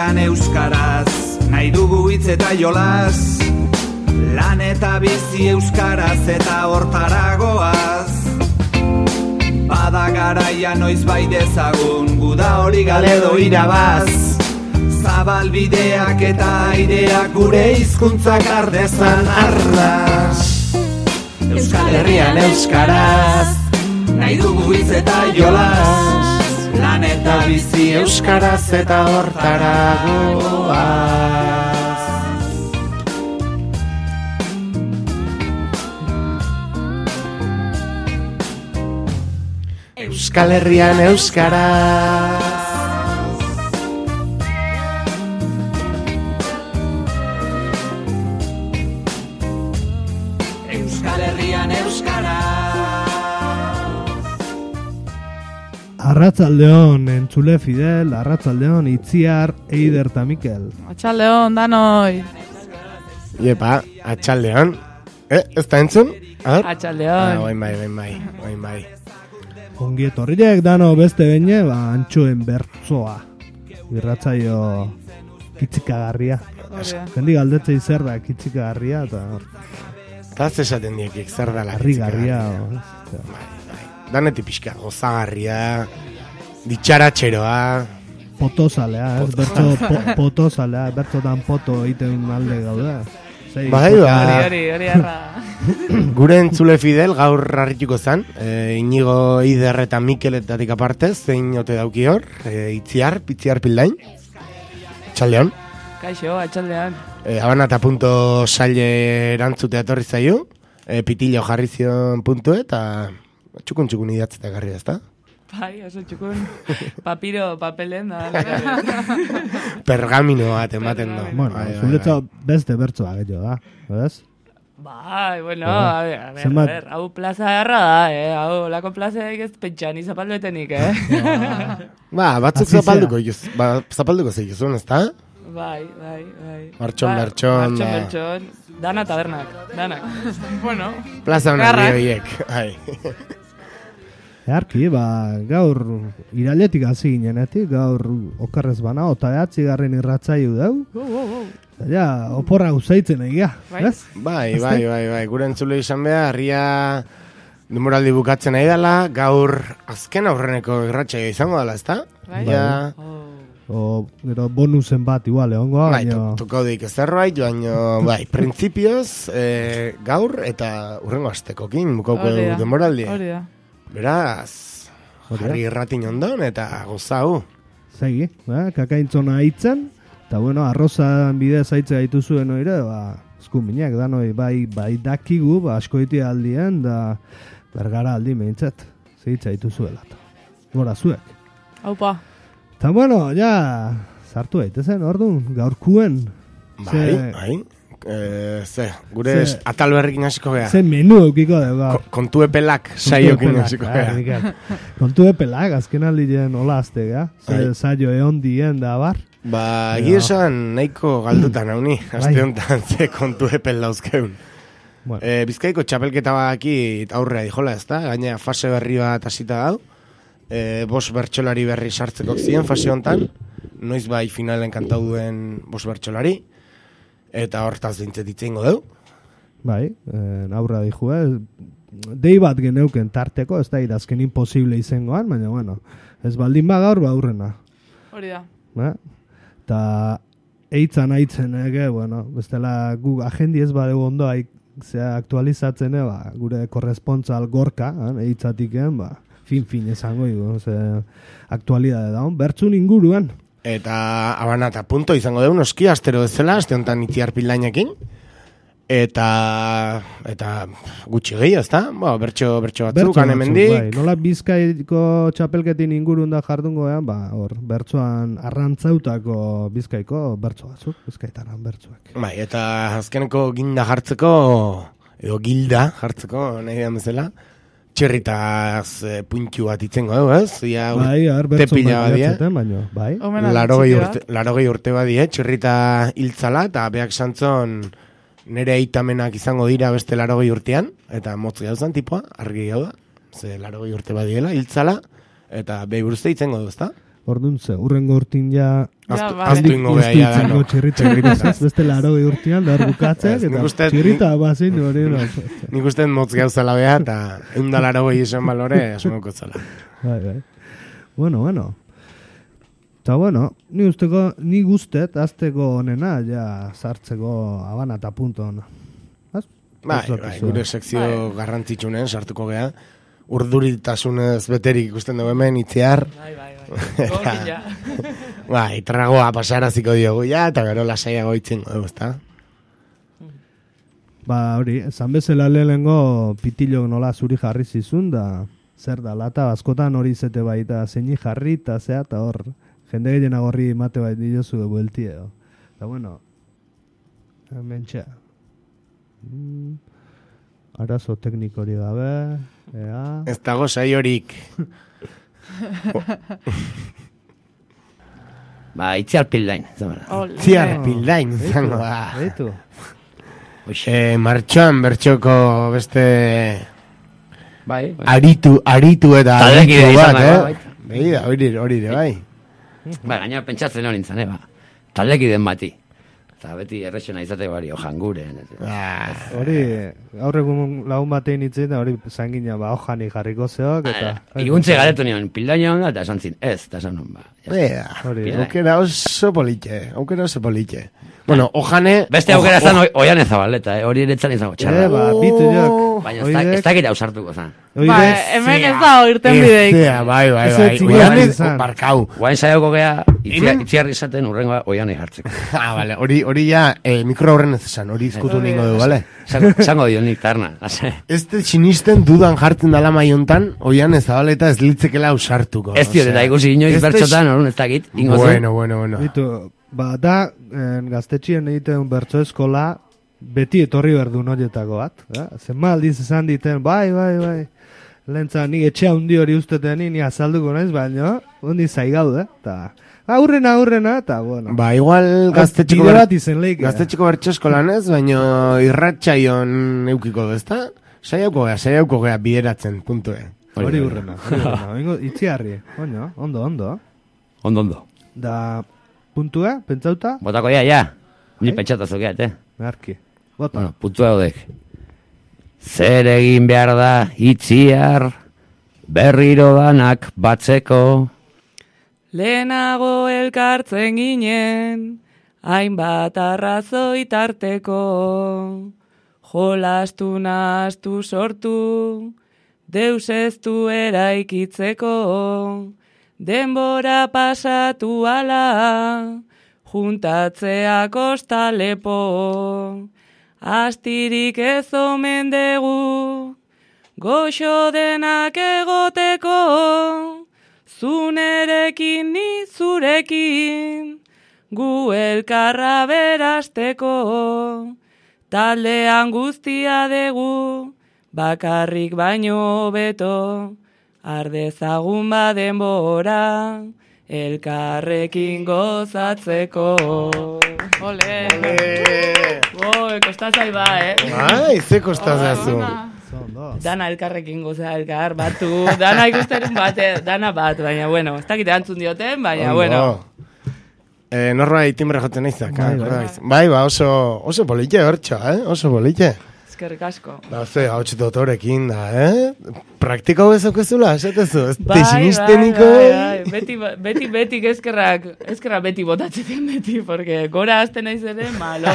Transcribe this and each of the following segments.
Herrian euskaraz, nahi dugu hitz eta jolas, lan eta bizi euskaraz eta hortaragoaz. Bada garaia noiz bai dezagun, guda hori galedo irabaz. Zabalbideak eta aireak gure hizkuntzak ardezan arnaz. Euskal Herrian euskaraz, nahi dugu hitz eta jolas, lan eta bizi euskaraz eta hortaragoaz. Euskal Herrian euskaraz. Euskal Herrian euskaraz. Arratzaldeon, entzule Fidel, arratzaldeon, Itziar, Eider eta Mikel. Atxaldeon, danoi. Iepa, atxaldeon. Ez da entzun? Atxaldeon. Oin bai. Ongi etorriak dano beste beine, antxoen bertzoa. Irratzaio kitzikagarria. Jendi galdetzei zer da kitzikagarria, eta Eta esaten diekik, zer da la harrigarria. Danetik pixka, gozagarria, ditxaratxeroa. Potozalea, bertzo potozalea, bertzotan poto egiten alde gauda. Bai, Hori arra. Gure entzule Fidel gaur harrituko zen, Inigo Eider eta Mikeletatik aparte, zein ote dauki hor, Itziar Pildain. Atxaldeon. Kaixo, atxaldean. Habana eta punto saile erantzutea etorri zaio, pitillo jarri zion puntu eta txukun idatzeta garri ezta? Bai, oso txukun. Papiro, papelen da. Pergamino bat ematen da. Bueno, zuretza beste bertzoa gehiago da, ez? Bai, bueno, a ver, hau plaza erra da, hau lako plazaik ez pentsan izapalduetenik, Batzuk zapalduko zeigizun, ez da? Bai. Martxon. Dana tabernak, danak. Bueno. Plaza honak bioiek, bai. Earki, gaur irailetik hasi ginenetik, gaur okarrez bana, eta 9. irratzaiu dau. Ja, oporra uzaitzen egia, ez? Bai, gure entzule izan behar, harria denboraldi bukatzen nahi dela, gaur azken aurreneko irratsaio izango dela, ezta? Bai. Gero bonusen bat igual egongo. Bai, tukaudik zerbait, baina bai, printzipioz gaur eta urrengo astekokin bukauko denboraldi. Hori da. Beraz, jarri irratin ondon eta gozau. Segi, kakaintzona hitzen, eta bueno, arrozan bidez haitze gaitu zuen oire, eskuminak danoi bai dakigu, asko iti aldien, da bergara aldi meintzat, zehitza gaitu zuela. Gora zuek. Haupa. Eta bueno, ja, sartu daitezen, orduan, gaurkuen. Bai. Gure atal berrikin hasiko gea. Ze menu eukiko dugu. Kontu epelak saiokin hasiko gea. Kontu epelak, azken aldien hola azte gea. Saio egon dien da bar. Giesan nahiko galdutan hauni, azte honetan ze kontu epel dauzkeun. Bizkaiko txapelketa baki aurrea dijola ez da, gaina fase berri bat hasita dau. 5 bertsolari berri sartzeko ziren fase honetan, noiz bai finalen kantau duen 5 bertsolari. Eta hortaz dintzetitzen godeu. Bai, aurra diju, dei bat geneuken tarteko, ez da idazken imposible izangoan, baina bueno, ez baldin gaur aurrena. Hori da. Eta eitzan aitzen, bueno, bestela gu agendi ez badeu ondo aktualizatzen, gure korrespontzal gorka, eitzatiken, fin esango dugu, aktualidade daun, bertzun inguruan. Eta Habana eta punto izango dugu noski astero bezala, aste honetan Itziar Pildainekin. Eta gutxi gehiago, ezta? Bertso batzuk hemendik. Bai, nola Bizkaiko txapelketin ingurun da jardungo, hor bertsoan arrantzautako Bizkaiko bertso batzuk, Bizkaitaran bertsoak. Bai, eta azkeneko ginda jartzeko edo gilda jartzeko nahi da bezala. Txerritaz puntxu bat itzengo dugu, ez? Bai, tepila badia. Bai. 80 urte badie, txerrita hiltzala, eta beak santzon nire eitamenak izango dira beste 80 urtean, eta motz gauzan tipoa, argi gau da. Ze 80 urte badiela, hiltzala, eta behi buruzte itzengo du, ezta? Orduan ze, urrengo urtin ja... Aztu ingo beha ja dano. Txirrita, beste 80 urtean, da bukatzek, eta txirrita bazin hori. Nik uste motz gauzala beha, eta 180 izan balore, asmoko zala. Bai. Bueno. Eta bueno, ni guztet, azteko honena, ja, sartzeko abana eta punto hona. Bai, gure sekzio garrantzitsunen sartuko geha. Urduritasunez beterik ikusten dugu hemen, itziar. Bai, tragoa pasaraziko diogu ja, eta gero lasaiago itzingo dugu, ezta? Ba, hori, esan bezala lehengo pitilok nola zuri jarri zizun, da zer da, lata askotan hori zete baita zeini jarri, eta zea, eta hor, jende gehiena gorri mate bait diozu buelti edo. Eta bueno, hemen txea. Arazo teknikori gabe, ea... Ez dago sai horik. Ba, itziar pildain. Itziar pildain, zango da. Eitu. Martxoan bertxoko beste... Bai. Aritu eta aritu bat, hori ere, bai. Ba, gaina pentsatzen hori nintzen, ba. Taldekiden bati. Eta beti errexena izate bari, ojanguren. Hori, gaur egun lagun batein itzen, da hori zangina, ba, ojani jarriko zeok, eta... Iguntze garetu nion, pildaino honda, eta esan zin, ez, eta esan non, ba. Aukera oso politxe. Bueno, ojane... Beste aukera zan oian ezabaleta, hori eretzan izango txarra. Ba, bitu jok. Baina ez dakit ausartuko zan. Ba, hemen ez da oirten bideik. Bai. Oian ez barkau. Guain saioko gea, itziarri izaten urrengoa oian jartzeko. Bale, hori ja mikro horren ez esan, hori izkutu ningo du, bale? Zango dio nik tarna. Ez te sinisten dudan jartzen dala maiontan, oian ezabaleta ez litzekela ausartuko. Ez diot, eta ikusi inoiz bertxotan, horren ez dakit. Bueno. Bitu, ba, da, gaztetxien egiten bertso eskola, beti etorri berdu noietako bat. Zenba aldiz esan diten, bai. Lehentza, ni etxea hundi hori usteten, ni azalduko naiz, baina, hundi zaigaude, eta... Aurrena, eta, bueno. Ba, igual gaztetxiko bertso eskolan ez, baina irratxaion eukiko du, ezta? Saiauko gea bideratzen, puntue. Hori urrena. Itziarri, ondo. Ondo. Da, puntua, pentsauta? Botako ja. Ni pentsatazok gehat, Merki. Bota. Bueno, puntua hodek. Zer egin behar da itziar, berriro danak batzeko. Lehenago elkartzen ginen, hainbat arrazoi tarteko. Jolastu nahastu sortu, deus ez du eraikitzeko. Denbora pasatu ala, juntatzea kosta lepo. Astirik ez omen dugu, goxo denak egoteko. Zunerekin ni zurekin, gu elkarra berasteko. Taldean guztia dugu, bakarrik baino beto. Ardezagun badenbora, elkarrekin gozatzeko. Ole! Kostazai ba, ze kostazazu. Dana elkarrekin goza, elkar, batu. Dana ikusten dana bat, baina, bueno, ez dakite antzun dioten, baina, bueno. Norbait timbre joten naizak. Bai, oso politxe hortxo, oso politxe. Eskerrik asko. Da, hau txitotorekin da, Praktikau ezokezula, esatezu, ez tesisteniko. Beti eskerrak beti botatzen beti, porque gora azten naiz ere, malo.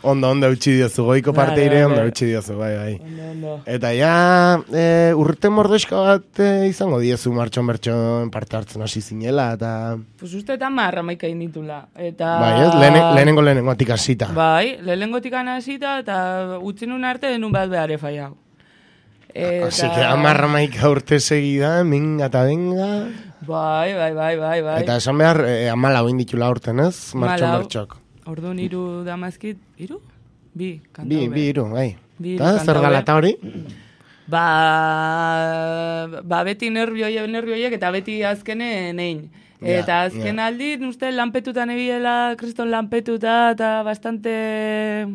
Ondo, eutxi diozu, goiko parte ire, ondo eutxi diozu, bai. Ondo. Eta ja, urte mordoska bat izango diezu martxon bertxon parte hartzen hasi zinela, eta... Pues uste eta marramaika inditula. Bai, lehenengotik hasita. Bai, lehenengotik hasita, eta utzinun arte denun bat behar efaiau. Así que amarramaika urte segida, minga eta benga. Bai. Eta esan behar, amala hoin ditula urten, ez? Martxon bertxok. Orduan iru damazkit, iru? Bi, kantau Bi, iru, bai. Eta zer galata hori? Ba, beti nervioiek eta beti azkenen egin. Eta azken aldi, uste lanpetutan ebiela, kriston lanpetuta, eta bastante...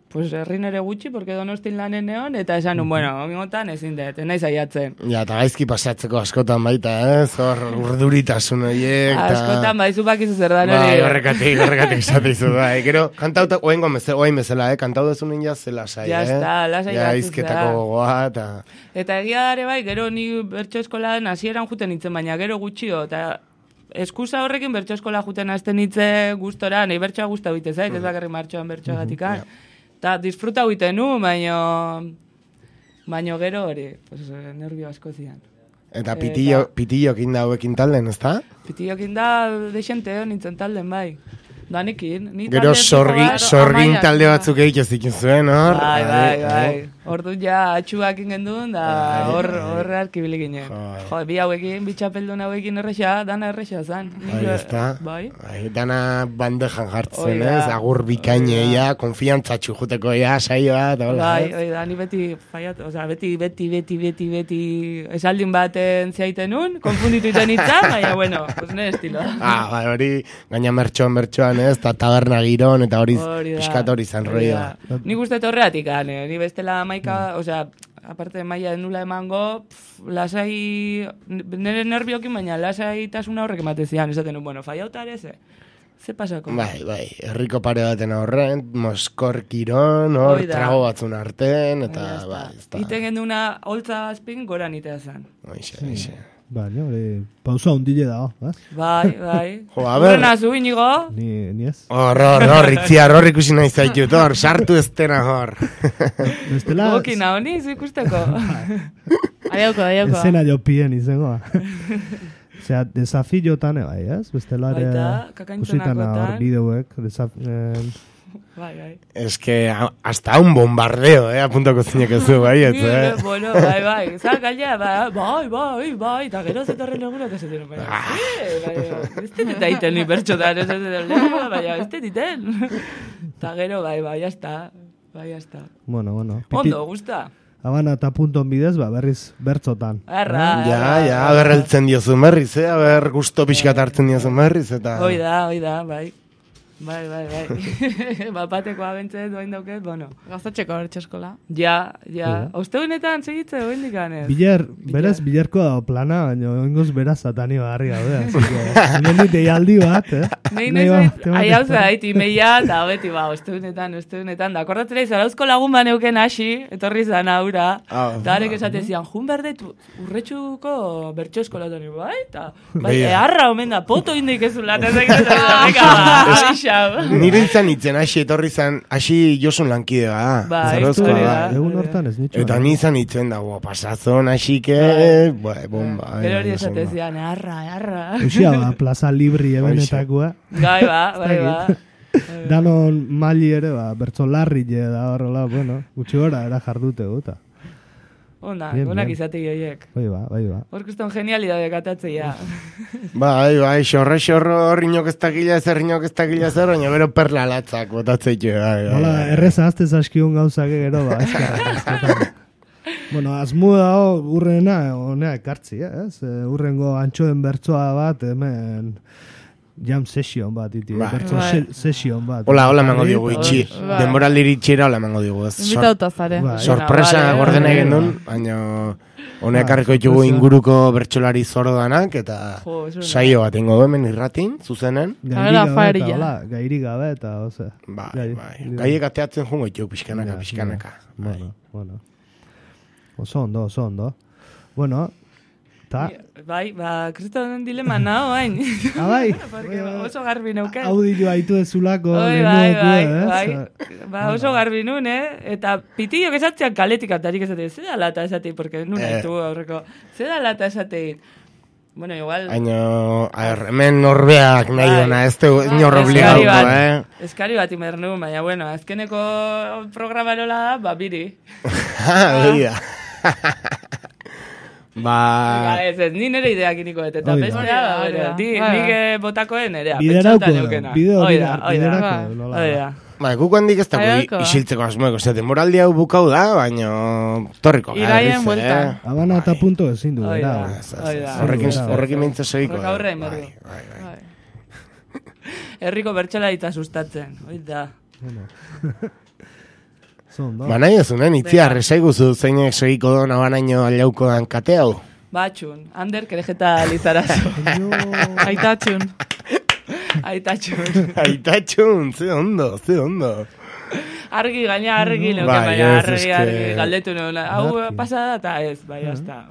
pues herrin ere gutxi, porque Donostin lanen neon, eta esan bueno, omingotan ezin dut, naiz aiatzen. Ja, eta gaizki pasatzeko askotan baita, hor urduritasun horiek. Askotan baizu bakizu zer da hori. Bai, horrekatik esateizu, bai. Gero, kantauta, oain bezala, kantau dezunen zela sai, Ja, está, lasai ja, batzuz, izketako gogoa, eta... Eta egia dare bai, gero ni bertso eskolan hasieran juten nintzen, baina gero gutxio, eta eskusa horrekin bertso eskola juten hasten nitze gustora, nahi bertsoa guzta bite zait, ez bakarrik martxoan bertsoa gatikan. Eta disfruta huiten nu, baino gero hori, pues, nervio asko zian. Eta pitillokin da hauekin talden, ez da? Pitillokin da deixente nintzen talden, bai. Danekin. Gero sorgin talde batzuk egiten zikin zuen, hor? Bai. Ordu ja atxuak ingendun, da hor arkibili ginen. Jo, bi hauekin, bi txapeldun hauekin erresa, dana erresa zan. Bai, ez da? Bai. Dana bandejan jartzen, ez? Agur bikaineia, konfiantzatxu juteko saioa, eta hola. Bai, da, ni beti faiat, oza, beti esaldin baten ziaiten nun, konfunditu iten itzan, baina, bueno, pues nire estilo. Bai, hori, gaina mertxoan, ez? Eta taberna giron, eta hori pixkat hori zan roia. Nik uste horreatik, ni bestela osea, aparte maila nula emango, lasai, nire nerviokin, baina lasaitasuna horrek ematezian, esaten nun, bueno, faiautare, ze pasako? Bai, herriko pare baten horren, Moskor kiron, hor, trago batzun arten, eta, bai, ez da. Iten genduna, holtza azpin, gora nitea zan. Oixe. Baina, pausa hundile da, Bai. Jo, a ber. Urena zu, inigo? Ni ez. Hor, itziar, hor ikusi nahi zaitut, hor, sartu estena hor. Bestela... Gokina, honi, zu ikusteko. Aiauko. Ezena jopien izango. Osea, desafiotan bai, ez? Bestela ere... Kakantzonakotan. Hor bideoek, Bai. Es que hasta un bombardeo, apuntako zinek ez du, bai, Bueno, bai. Zak, gaila, bai. Eta gero zetorren eguna, eta zetorren, bai. Ez dita iten ni bertxotan, ez dita, baina ez dita. Eta gero, bai, jazta. Bueno. Ondo, gusta. Habana eta punton bidez, berriz bertzotan. Ja, berreltzen diozun berriz, ber gusto pixkat hartzen diozun berriz, eta... Oida, bai. Bai. Bapateko abentzet doain dauket, bueno. Gaztatxeko bertso eskola. Ja. Osteunetan segitze, oin dikanez. Bilerko plana, baina oingoz beraz satani barri gaude. Nien deialdi bat, Hau zait, imeia, eta beti, osteunetan. Da, akordatzera izarauzko lagun baneuken hasi, etorri zan aura. Eta harek esate zian, jun berdet urretxuko bertso eskola doni, bai? Eta, eharra omen da, poto indik ez ulat, Nire itzen hasi etorri zan, hasi Josun lankide da. Egun hortan ez nitxo. Eta nizan itzen da, pasazon hasike, bomba. Gero hori esatezian, arra. Uxia, plaza libri ebenetakoa. Bai. Danon maili ere, bertzo larri da horrela, gutxi gora, era jardute guta. Onak izatei horiek. Bai ba. Hor kuston genialidade katatzea. Bai, xorro, rinok ez dakila zer, baina gero perla latzak botatzeitu. Hola, erreza aztez askiun gauzak gero, eskarra. Bueno, azmu dago urrena, honea ekartzi, ez? Urrengo antxoen bertsoa bat, hemen... Jam session bat, bertso session bat. Hola, mango digu, itxi. Denboraldiri itxera, hola mango digu. Invitauta zare. Sorpresa gordena egin duen, baina honek arreko ditugu inguruko bertsolari zordanak, eta saio bat ingo hemen irratin, zuzenen. Gairi gabe, eta oze. Bai. Gaiek ateatzen jungo ditugu, pixkanaka. Bueno. Oso ondo. Bueno, Bai, kristonen dilema naho, hain. Bai. Oso garbi neuken. Audio haitu ezulako. Bai, oso garbi nun, Eta pitillo esatzean kaletik atarik esatein. Zeda lata esatein, porque nun haitu aurreko. Zeda lata esatein. Bueno, igual... hemen norbeak nahi duna, ez du inorro obligauko, Eskari bat imernu, baina, bueno, azkeneko programarola da, biri. Bida. Ez, ni nire ideak iniko dut, eta bestea, nik botakoen nerea. Biderauko. Guk handik ez dago isiltzeko asmoeko, denboraldi hau bukau da, baina torriko. Iraien buelta. Habana eta punto ezin du. Horrekin mintza segiko. Herriko bertxela eta sustatzen, oita. Nahi ezunen, itziar, esaiguzu zeinek segiko dona banaino aliauko dan kate hau. Batxun, Ander, kerejeta lizarazo. Aitatxun. Aitatxun, ze ondo. Argi, gaina argi, baina argi, galdetu nuen. Hau pasada eta ez, bai, hasta.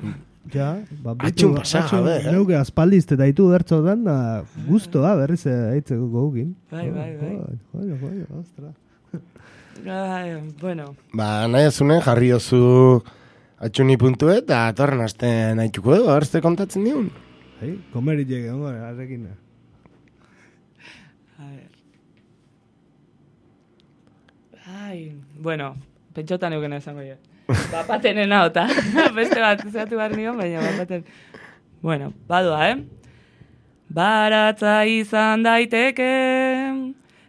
Ja, atxun pasa, jabe. Neuke aspaldizte daitu bertzo dan, da guztoa berriz aitzeko gogin. Bai. Ostra. Bueno. Nahi azunen, jarri ozu atxuni puntu eta atorren aste nahituko edo, arzte kontatzen diun. Komeri llegue, arrekin. Bueno, pentsotan euken esango jo. Bapatenena ota. Beste bat, zeatu behar nion, baina bapaten. Bueno, badua, Baratza izan daiteke,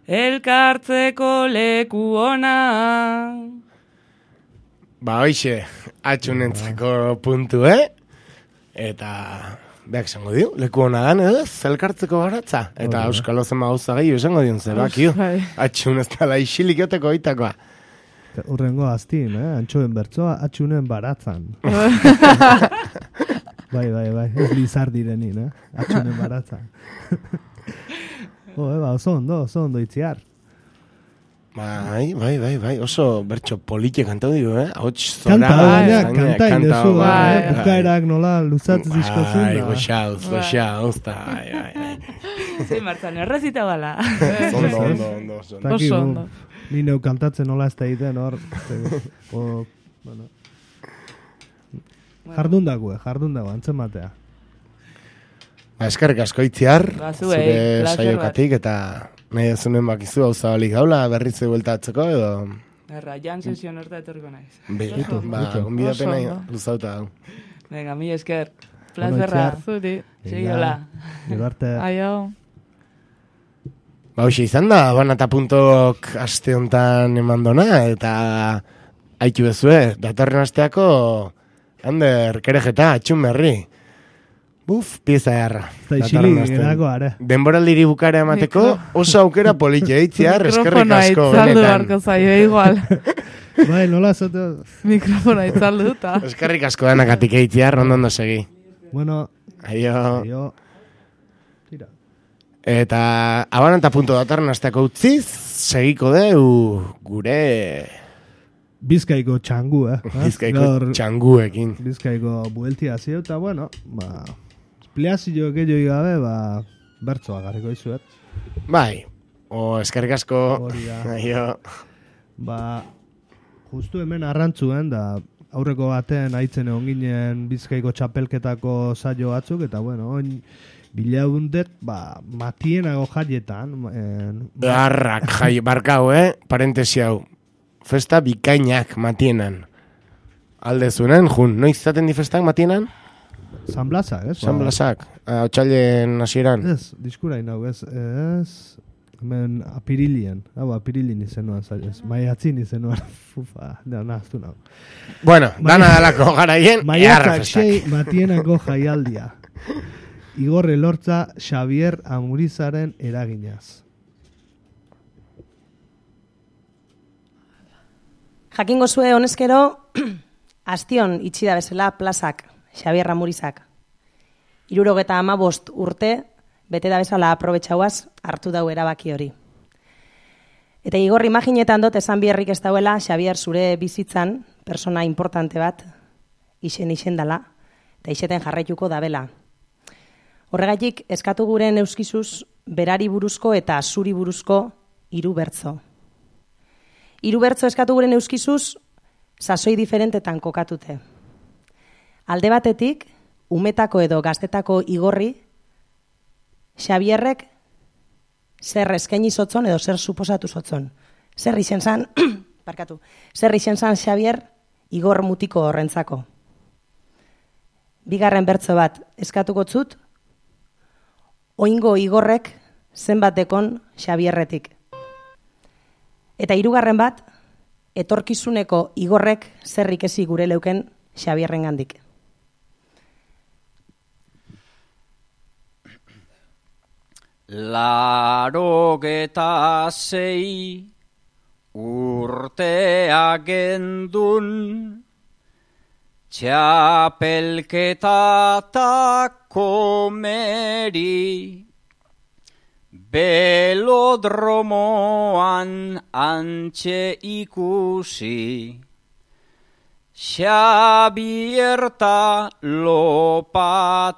elkartzeko leku ona. Hoixe, atxunentzeko puntu, Eta, beak esango dio, leku ona dan, elkartzeko baratza. Eta Euskal Ozen gauza gehiago esango dion, zebakio. Atxun ez dala isilik joteko oitakoa. Urrengo aztin, antxoen bertzoa, atxunen baratzan. Bai, ez lizar direnin, atxunen baratzan. Oso ondo itziar. Bai, oso bertxo polite kantau digu, Hots zora. Kanta indezu, bukaerak nola luzatzen dizkozun. Goxauz, Zin martzan, errezita bala. Ondo. Oso ondo. Ni neu kantatzen nola ez da egiten, hor. Jardun dago, antzen matea. Eskerrik asko itziar, zure saiokatik, eta nahi azunen bakizu hau zabalik gaula, berritze bueltatzeko, edo... Jan sesion horta etorriko naiz. Gonbidapena luzauta hau. Venga, mi esker. Plazerra. Zuri. Segiola. Aio. Hoxe izan da, banata puntok aste hontan emandona, eta haitu bezue, datorren asteako Ander, kerejeta, atxun berri. Pieza jarra. Denboraldiri bukara emateko, oso aukera politia itziar, eskerrik asko. Mikrofona itzaldu barko zaio, igual. Bai, nola zote. Mikrofona itzaldu eta. Eskerrik asko denakatik eitziar, ondo segi. Bueno. Aio. Tira. Eta abananta punto datorren asteako utziz, segiko deu gure... Bizkaiko txangu, Bizkaiko txanguekin. Bizkaiko bueltia zio, eta bueno, espliazio gehiago gabe, bertzoa garriko izuet. Bai, eskerrik asko. Aio. Justu hemen arrantzuen, da aurreko baten aitzen egon ginen Bizkaiko txapelketako saio batzuk, eta bueno, oin bilaundet, matienago jaietan. Arrak jai, barkau, parentesi hau. Festa bikainak matienan. Aldezunen, noiz zaten di festak matienan? San Blasak, ez? San Blasak, otxailen hasieran. Ez, diskura inau, ez. Hemen apirilien. Apirilien izenuan, ez. Maiatzin izenuan. Nahaztu nau. Bueno, dana dalako garaien, Maiatzak sei matienako jaialdia. Igorre Lortza Xavier Amurizaren eraginaz. Jakingo zue honezkero, astion itxida bezala plazak, Xavier Amurizak. 75 urte, bete da bezala aprobetxauaz, hartu dau erabaki hori. Eta Igor imaginetan dut esan biherrik ez dauela, Xavier zure bizitzan, persona importante bat, isen dala, eta iseten jarraituko dabela. Horregatik, eskatu guren euskizuz, berari buruzko eta zuri buruzko 3 bertzo. 3 bertzo eskatu guren euskizuz, sasoi diferentetan kokatute. Alde batetik, umetako edo gaztetako Igorri, Xabierrek zer eskaini zotzon edo zer suposatu zotzon. Zer izen zan, Xavier Igor mutiko horrentzako. Bigarren bertzo bat eskatuko zut, oingo Igorrek zenbat dekon Xabierretik. Eta 3. bat, etorkizuneko Igorrek zerrik ezi gure leuken Xabierren gandik. Larogeta 6 urtea gendun, txapelketa ta komeri, belodromoan antxe ikusi, Xabierta lopategi,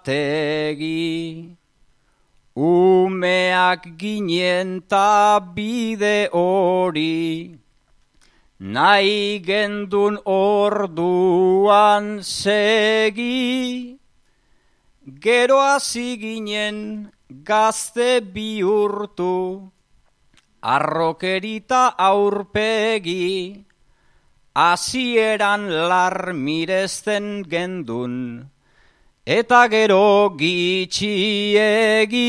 umeak ginen ta bide hori, nahi gendun orduan segi, gero hasi ginen gazte bihurtu, arrokerita aurpegi, hasieran lar miresten gendun, eta gero gitxiegi,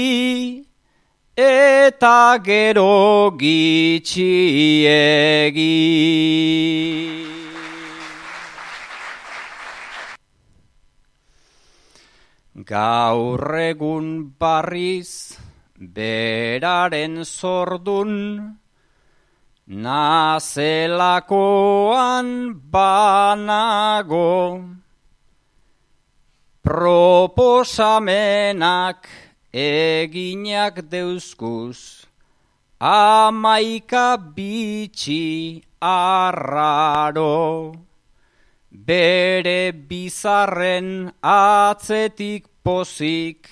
eta gero gitxiegi. Gaur egun barriz beraren zordun, nazelakoan banago, proposamenak eginak deuzkuz, 11 bitxi arraro, bere bizarren atzetik pozik,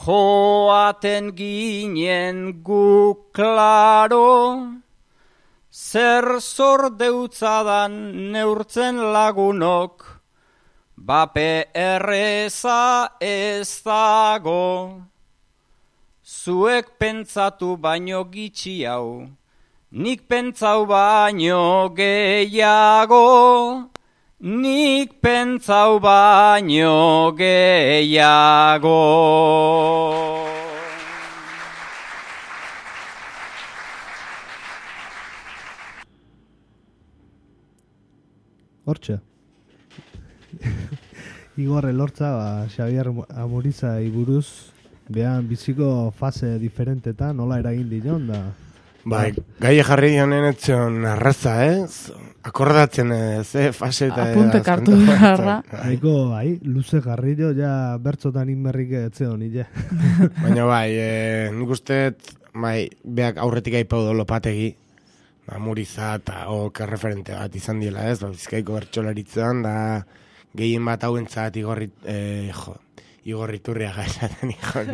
joaten ginen gu klaro, zer zordeutzadan neurtzen lagunok, bape erreza ez dago. Zuek pentsatu baino gitxi hau, nik pentsau baino gehiago, nik pentsau baino gehiago. Hortxe. Igor Elortza, Xabier Amuriza buruz, behan biziko fase diferentetan, nola eragin dion da? Bai, gai jarri honen etzion arraza, akordatzen fase eta... Apunte kartu beharra. Haiko, luze jarri jo, ja bertzotan inmerrik etzion, nile. Baina bai, nik usteet, bai, beak aurretik aipau lopategi, Amuriza eta referente bat izan diela ez, Bizkaiko bertsolaritzan, da gehien bat hauentzat Igor Iturriaga esaten ikon.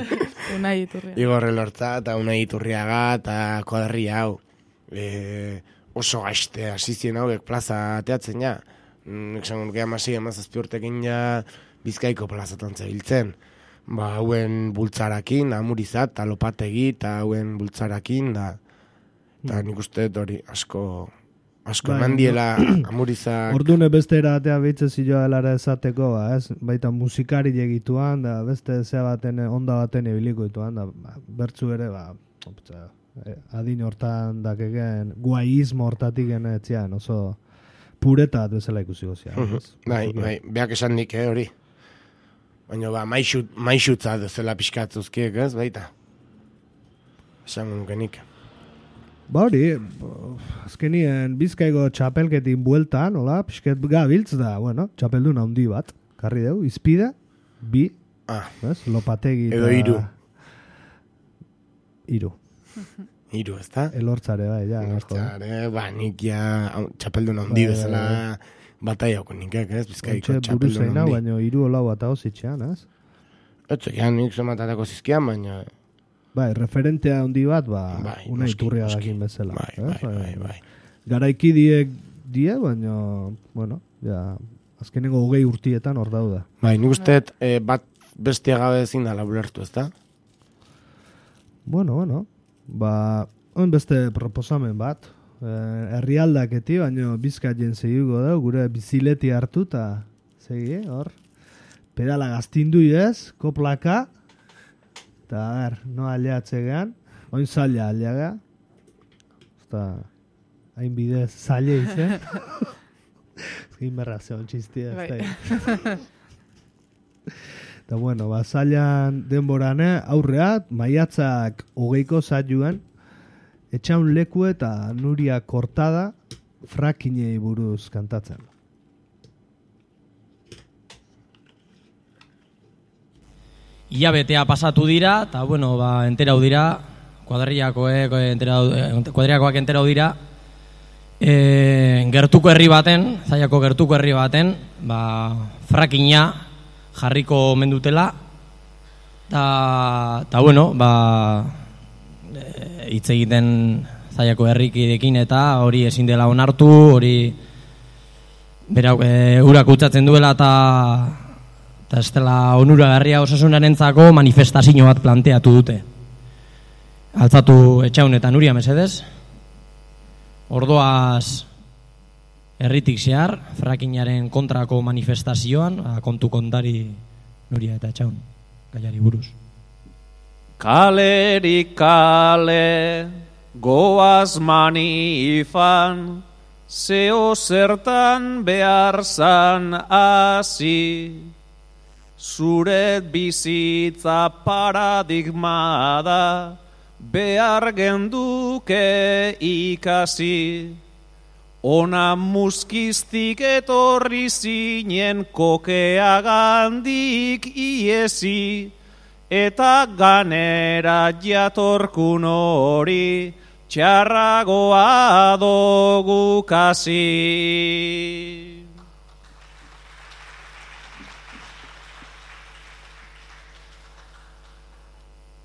Unai Iturriaga. Igor Elortza eta Unai Iturriaga eta kuaderri hau. Oso gaizte asizien hauek plaza ateatzen ja. Nik zangon geha amazazpi urtekin ja Bizkaiko plazatan zabiltzen. Ba, hauen bultzarakin, Amuriza eta lopategi eta hauen bultzarakin da. Eta nik uste hori asko eman diela Amuriza... Ordune beste eratea behitze ziloa helara esateko, ez? Baita musikari egituan, da beste zea baten, onda baten ebiliko dituan, da bertzu ere, adin hortan dakegen, guaizmo hortatik genetzean, oso pureta bezala ikusi gozia. Bai, beak esan nik, hori. Baina, maixutza dezela pixkatzuzkiek, ez, baita. Esan nukenik. Ba hori, azkenien Bizkaiko txapelketin bueltan, hola, pixket gabiltz da, bueno, txapeldun handi bat, karri deu, izpide, bi, lopategi eta... Edo Iru. Iru, ez da? Elortzare, bai, ja. Elortzare, nik ja txapeldun handi bezala bataiako nikek, ez? Bizkaiko txapeldun handi. Baina iru holau bat hau zitxean, ez? Etzean, nik zomatatako zizkian, baina... Bai, referentea handi bat, Unai Iturriagakin bezala. Bai. Garaiki die, baina, bueno, ja, azkenengo 20 urtietan hor dauda. Bai, nik usteet bat bestia gabe ezin dala ulertu, ez da? Bueno, on beste proposamen bat. Herrialdaketi, baina Bizkaien segiko da, gure bizileti hartu, eta segi, hor. Pedala gaztindu ez, koplaka, eta no aliatzegean, oin zaila aliaga, eta hain bidez zaila izen. Ezkin berra zeon txistia, ez da. Eta bueno, zailan denborane aurreat, maiatzak 20ko zailuan, Etxaun Leku eta Nuria Kortada frakinei buruz kantatzen. Iabetea pasatu dira, eta bueno, enterau dira, kuadriakoak enterau dira, gertuko herri baten, Zallako gertuko herri baten, frakina jarriko mendutela, eta bueno, hitz egiten Zallako herrikidekin eta hori ezin dela onartu, hori urak utzatzen duela eta ez dela onuragarria osasunarentzako manifestazio bat planteatu dute. Altzatu Etxaun eta Nuria mesedez. Ordoaz herritik zehar, frakinaren kontrako manifestazioan, kontu kontari Nuria eta Etxaun, gaiari buruz. Kalerik kale, goaz manifan, zeo zertan behar zan hasi. Zuret bizitza paradigma da, behar genduke ikasi. Ona muskiztik etorri zinen kokeagandik iesi, eta ganera jatorkun hori txarragoa dogu kasi.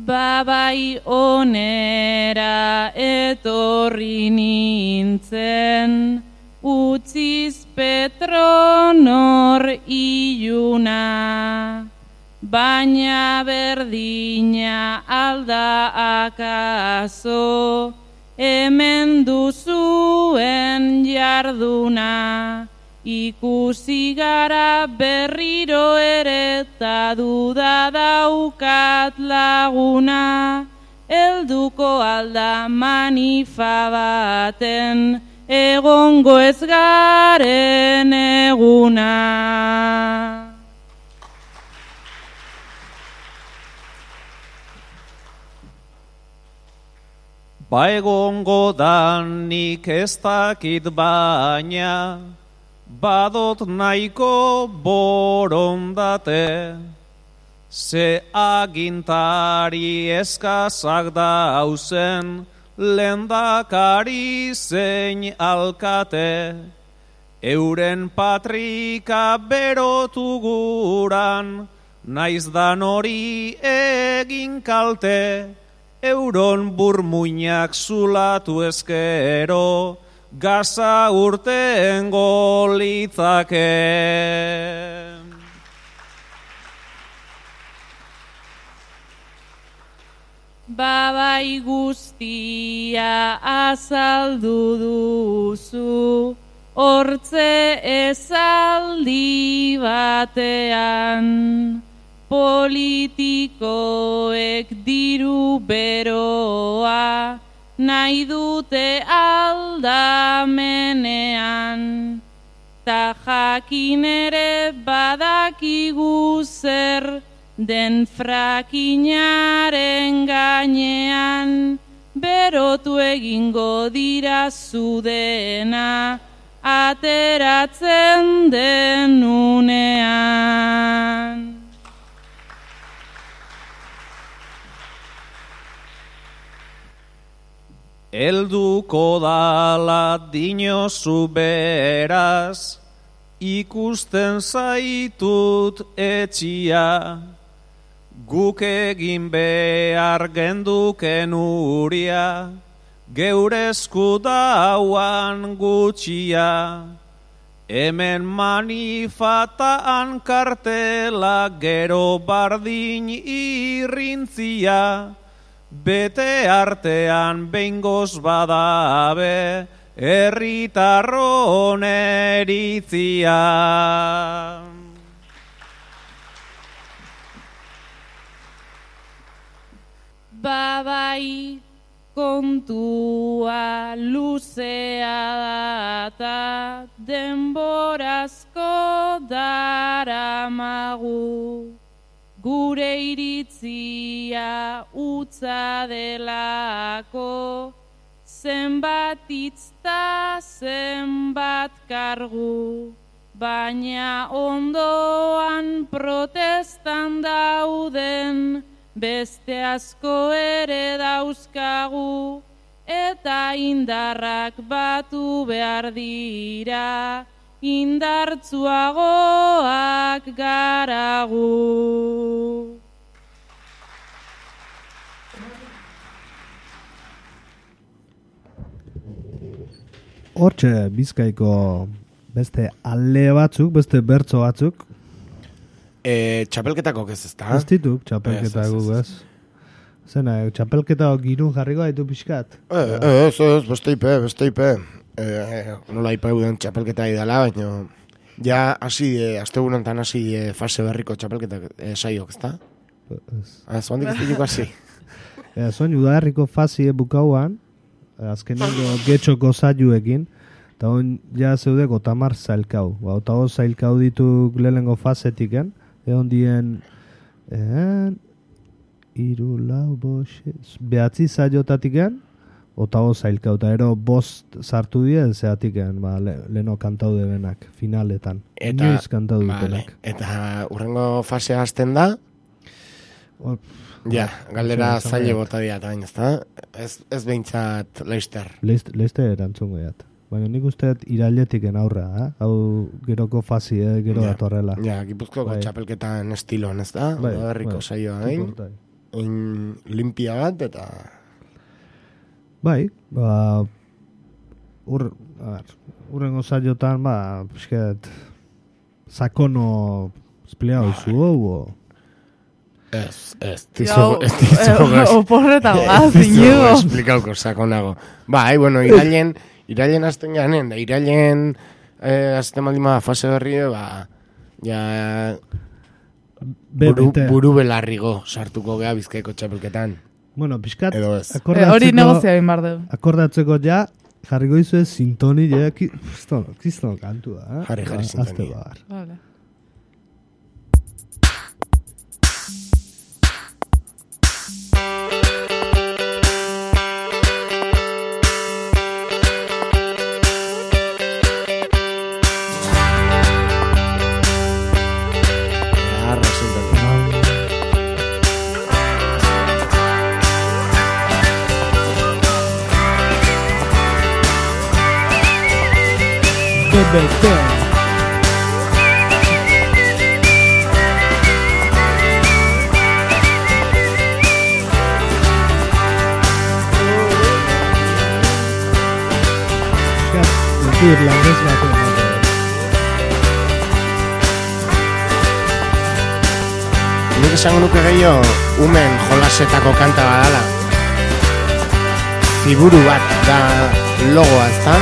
Babai onera etorri nintzen, utziz Petronor iluna, baina berdina alda akaso, hemen duzuen jarduna. Ikusi gara berriro ere eta duda daukat laguna, helduko alda manifa baten, egongo ez garen eguna. Egongo danik ez dakit baina, badot nahiko borondate, ze agintari eskazak dauzen, lehendakari zein alkate, euren patrika berotu guran, naiz dan hori egin kalte, euron burmuinak zulatu ezkero, gaza urtengo litzake. Babai guztia azaldu duzu, hortze esaldi batean, politikoek diru beroa, nahi dute aldamenean, ta jakin ere badakigu zer den frakinaren gainean, berotu egingo dira zudena, ateratzen den unean. Elduko dala dinozu beraz, ikusten zaitut etxia, guk egin behar genduken uria, geure esku dauan gutxia. Hemen manifataan kartela gero bardin irrintzia, bete artean behingoz badabe, herritarron eritzia. Babai kontua luzea data, denborazko daramagu. Gure iritzia utza delako, zenbat itzta, zenbat kargu, baina ondoan protestan dauden, beste asko ere dauzkagu, eta indarrak batu behar dira, indartzuagoak garagu. Hortxe Bizkaiko beste ale batzuk, beste bertso batzuk. Txapelketakok ez da? Ez dituk txapelketakok ez. Zena, txapelketakok girun jarriko haitu pixkat? Ez, beste ipe. Nola ipauden txapelketa idala, baina ja astegunetan hasi fase berriko txapelketak saiok, ez da? Zoandik ez diuk hasi. Zoan udaherriko fase bukauan, azkenengo getxoko zaiuekin, eta hon ja zeudeko tamar zailkau. Eta hon zailkau dituk lehenengo fasetiken, egon dien iru, lau, behatzi zailotatiken, eta hon zailkau, eta ero bost sartu dien zeatiken, leheno kantau debenak, finaletan. Inoiz kantau dutenak. Eta urrengo fasea hasten da? Ja, galdera zaile bota diat, ez da? Ez behintzat Leister. Leister erantzungo diat. Baina nik usteet irailetiken aurra, hau geroko fasi, gero datorrela. Ja, Gipuzkoako txapelketan estiloan, ez da? Herriko saioa gain. Limpia bat, eta... Bai, urrengo saiotan, pisket, sakono espleau zu, Ez, oporreta gaz, inigo. Esplikauko sakonago. Bai, bueno, irailen azten ganen, da irailen azten maldima fase berri, ja buru belarrigo sartuko gea Bizkaiko txapelketan. Bueno, pixkat, hori negozia egin bar dugu. Akordatzeko ja, jarriko izu ez sintoni, kristono kantua. Jarri sintoni. Vale. Irlandez batu. Nik esango nuke gehiago umen jolasetako kanta badala. Ziburu bat da logoa, ezta?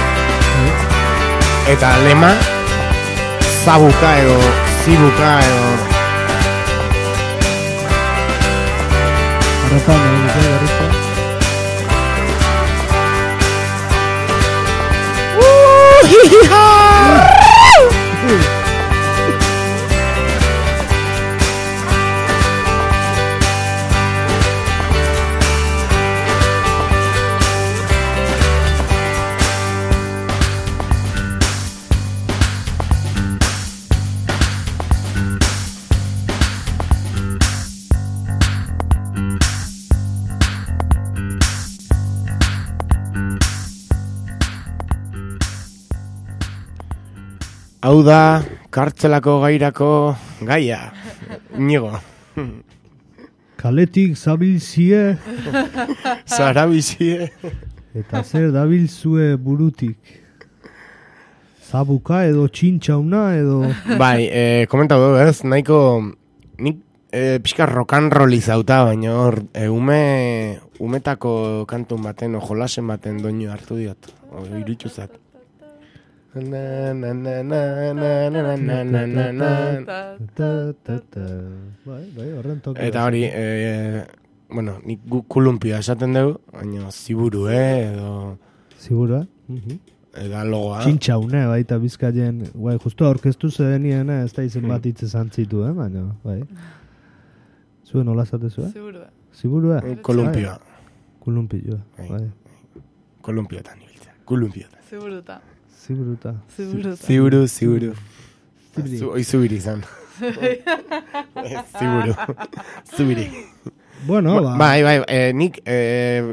Eta lema zabuka edo zibuka edo... Arratan, garrita. Hau da, kartzelako gairako gaia, Inigo. Kaletik zabilzie. Zarabizie. Eta zer dabilzue burutik. Zabuka edo txintxauna edo... Bai, komentau du, ez? Nahiko, nik pixka rock'n'roll izauta, baina hor, umetako kantun baten, jolasen baten doinu hartu diot. Irutxuzat. Eta hori, bueno, nik kulumpia esaten dugu, baina ziburu, edo... Zibura? Eda logoa. Txintxaune, baita Bizkaien, bai, justu aurkeztu zedenien, ez da izen bat hitz esan zitu, baina, bai. Zuen nola zatezu, Zibura. Zibura? Kolumpioa. Kolumpioa, bai. Kolumpiotan ibiltzen. Kolumpiotan. Ziburuta. Ziburu. Zubiri izan. Zubiri. Bueno, bai, nik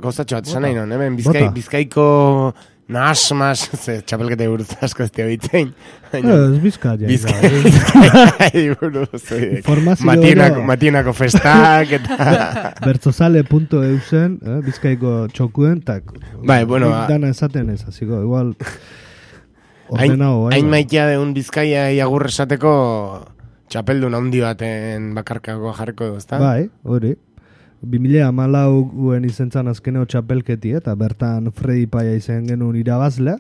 gozatxo bat esan nahi non, hemen Bizkaiko nahasmas, txapelketa buruz asko ez teoitzein. Ez Bizkaia. Mationako festak eta... Bertzozale.eusen, Bizkaiko txokuen, tak... Bai, bueno... Dana esaten ez, aziko, igual... Ordenao, hain maitea deun Bizkaia iagurre esateko txapeldun handi baten bakarkako jarriko du, ezta? Bai, hori. 2014 izentzan azkeneo txapelketi, eta bertan Fredi Paia izen genuen irabazlea.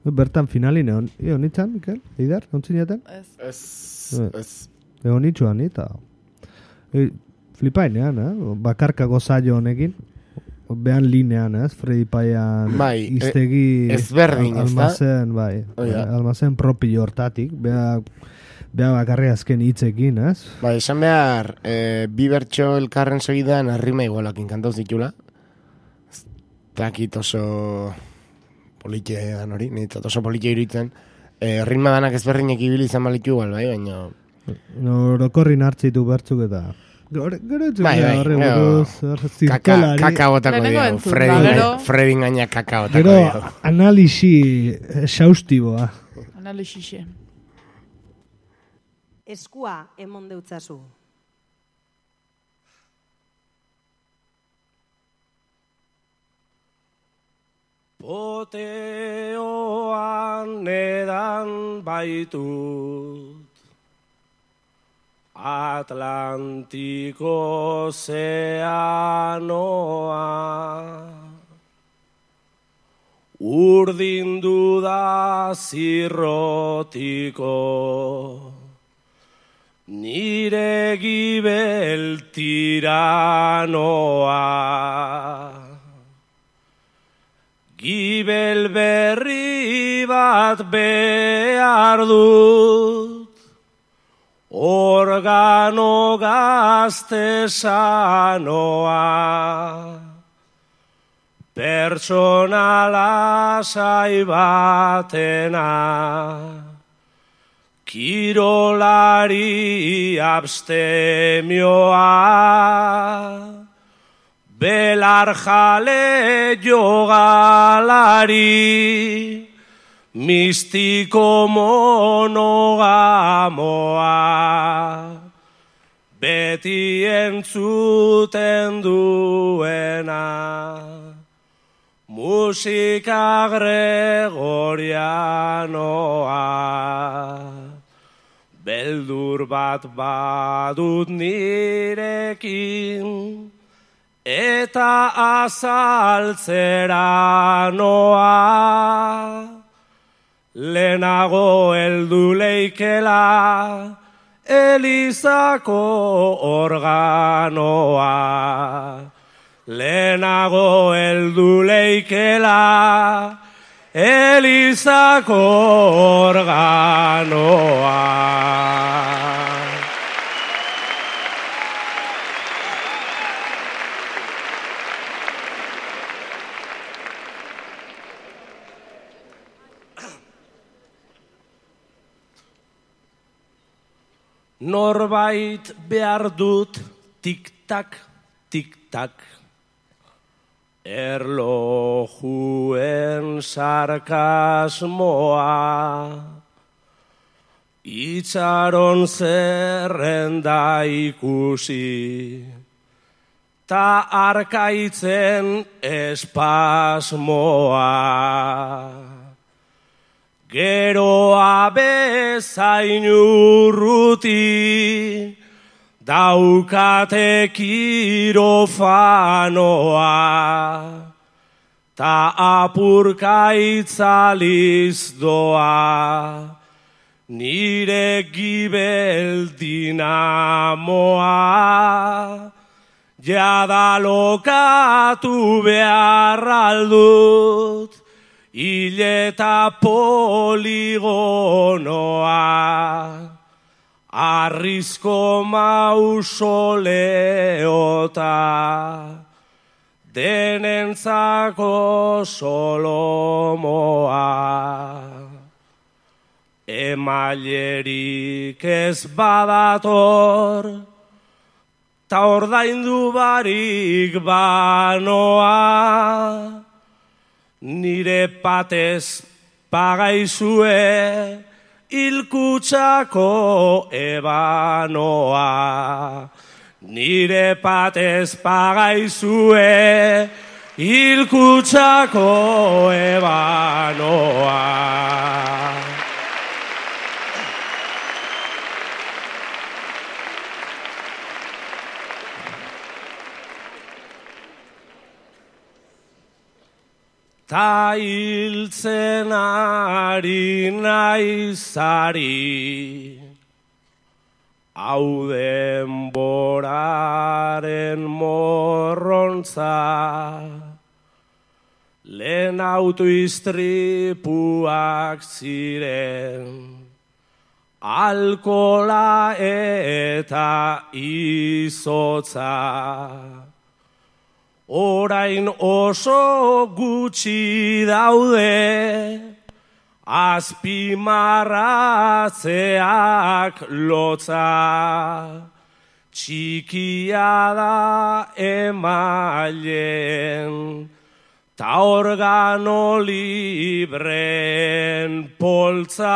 Bertan finalin egon nitzan, Mikel? Eider, ontzinetan? Ez. Egon nitzuan, eta... Flipainean, bakarkako zailo honekin. Behan linean, Fredi Paian iztegi... Ezberdin, ez da? Almazen, bai. Almazen propi hortatik. Beha bakarri azken hitzekin, ez? Ba, esan behar, bi bertxo elkarren segidan arrima igualakin kantauz ditula. Takit oso politxe dan hori, nintzat oso politxe iruditzen. Ritma danak ezberdinek ibili izan balitu igual, bai, baina... Orokorrin hartzitu bertzuk eta... Kaka botako dio, Fredin gaina kaka botako dio. Gero, analisi exhaustiboa. Analixixe. Eskua emon deutzazu. Poteoan edan baitut Atlantiko ozeanoa Urdindu da zirrotiko Nire gibel tiranoa Gibel berri bat behar dut Organo gazte sanoa Pertsona lasai batena Kirolari abstemioa Belar jale jogalari Mistiko monogamoa Beti entzuten duena Musika gregorianoa Beldur bat badut nirekin Eta azaltzera noa Lehenago heldu leikela Elizako organoa Lehenago heldu leikela Elizako organoa Norbait behar dut tik-tak, tik-tak Erlojuen sarkasmoa Itxaron zerrenda ikusi Ta arkaitzen espasmoa Geroa bezain urruti Daukate kirofanoa Ta apurka itzaliz doa Nire gibel dinamoa Jada lokatu behar aldut Ileta poligonoa Arrizko mausoleota denentzako Solomoa. Emailerik ez badator, ta ordaindu barik banoa, nire patez pagaizue hilkutsako ebanoa. Nire patez pagaizue hilkutsako ebanoa. Ta hiltzen ari naizari, hau denboraren morrontza, lehen autoistripuak ziren, alkola eta izotza. Orain oso gutxi daude, azpimarratzeak lotza. Txikia da emailen, ta organo libren poltza.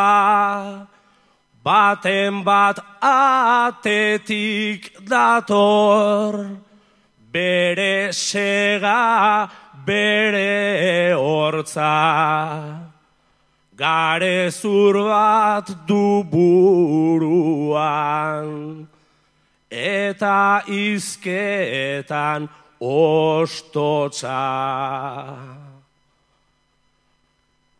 Baten bat atetik dator, bere sega, bere hortza. Garezur bat du buruan, eta izketan ostotza.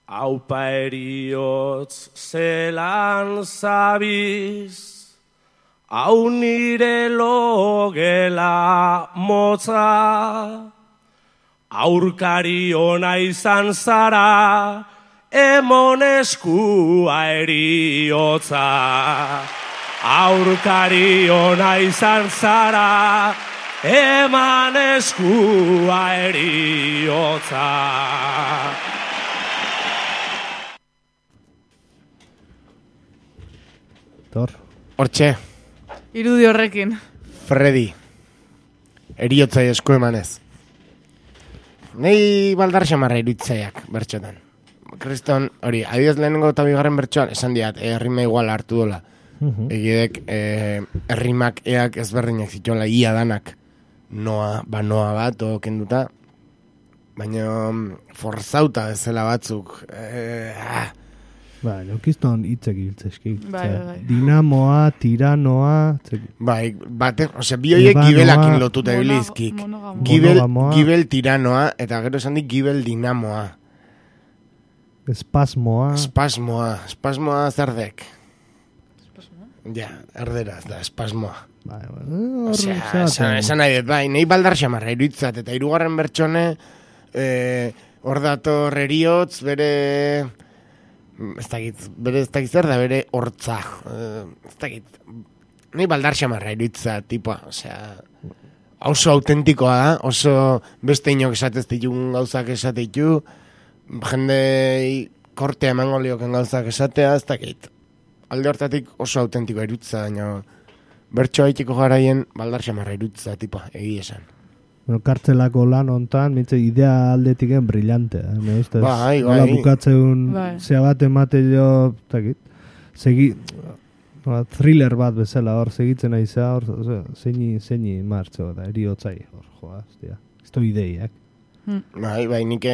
Aupa eriotz zelan zabiz, hau nire logela motza, aurkari ona izan zara, emon eskua eriotza. Aurkari ona izan zara, eman eskua eriotza. Hortxe. Irudi horrekin. Freddy. Eriotzai esku emanez. Nei baldar xamarra iruditzaiak, bertxotan. Kriston, hori, adioz lehenengo eta bigarren bertxoan, esan diat, errima igual hartu dola. Egidek, errimak eak ezberdinak zituela, ia danak. Noa bat, o kenduta. Baina, forzauta bezala batzuk. Bai, neukizton hitzek ibiltzezki. Bai. Dinamoa, tiranoa... Bai, osea, bi horiek gibelakin lotuta ibilizkik. Gibel tiranoa, eta gero esan dik gibel dinamoa. Espasmoa zerdek. Ja, erderaz da, espasmoa. Osea, esan nahi dut, bai, nahi baldar xamarra iruditzat, eta hirugarren bertxone, hor dator eriotz, bere... ez dakit zer da bere hortza. Ez dakit. Nahi baldar xamarra iruitza, tipoa. Osea, oso autentikoa da, oso beste inok esatez ditun gauzak esateitu, jende kortea emango lioken gauzak esatea, ez dakit. Alde hortatik oso autentikoa iruitza, baina bertso haitiko garaien baldar xamarra iruitza, tipoa, egi esan. Kartzelako lan hontan, mitze idea aldetiken brillante. Bai. Nola bukatzeun zea bat emate jo, thriller bat bezala, hor segitzen aizea, hor zeini martxo, da, eriotzai, hor, joa, ez du ideiak. Bai, nik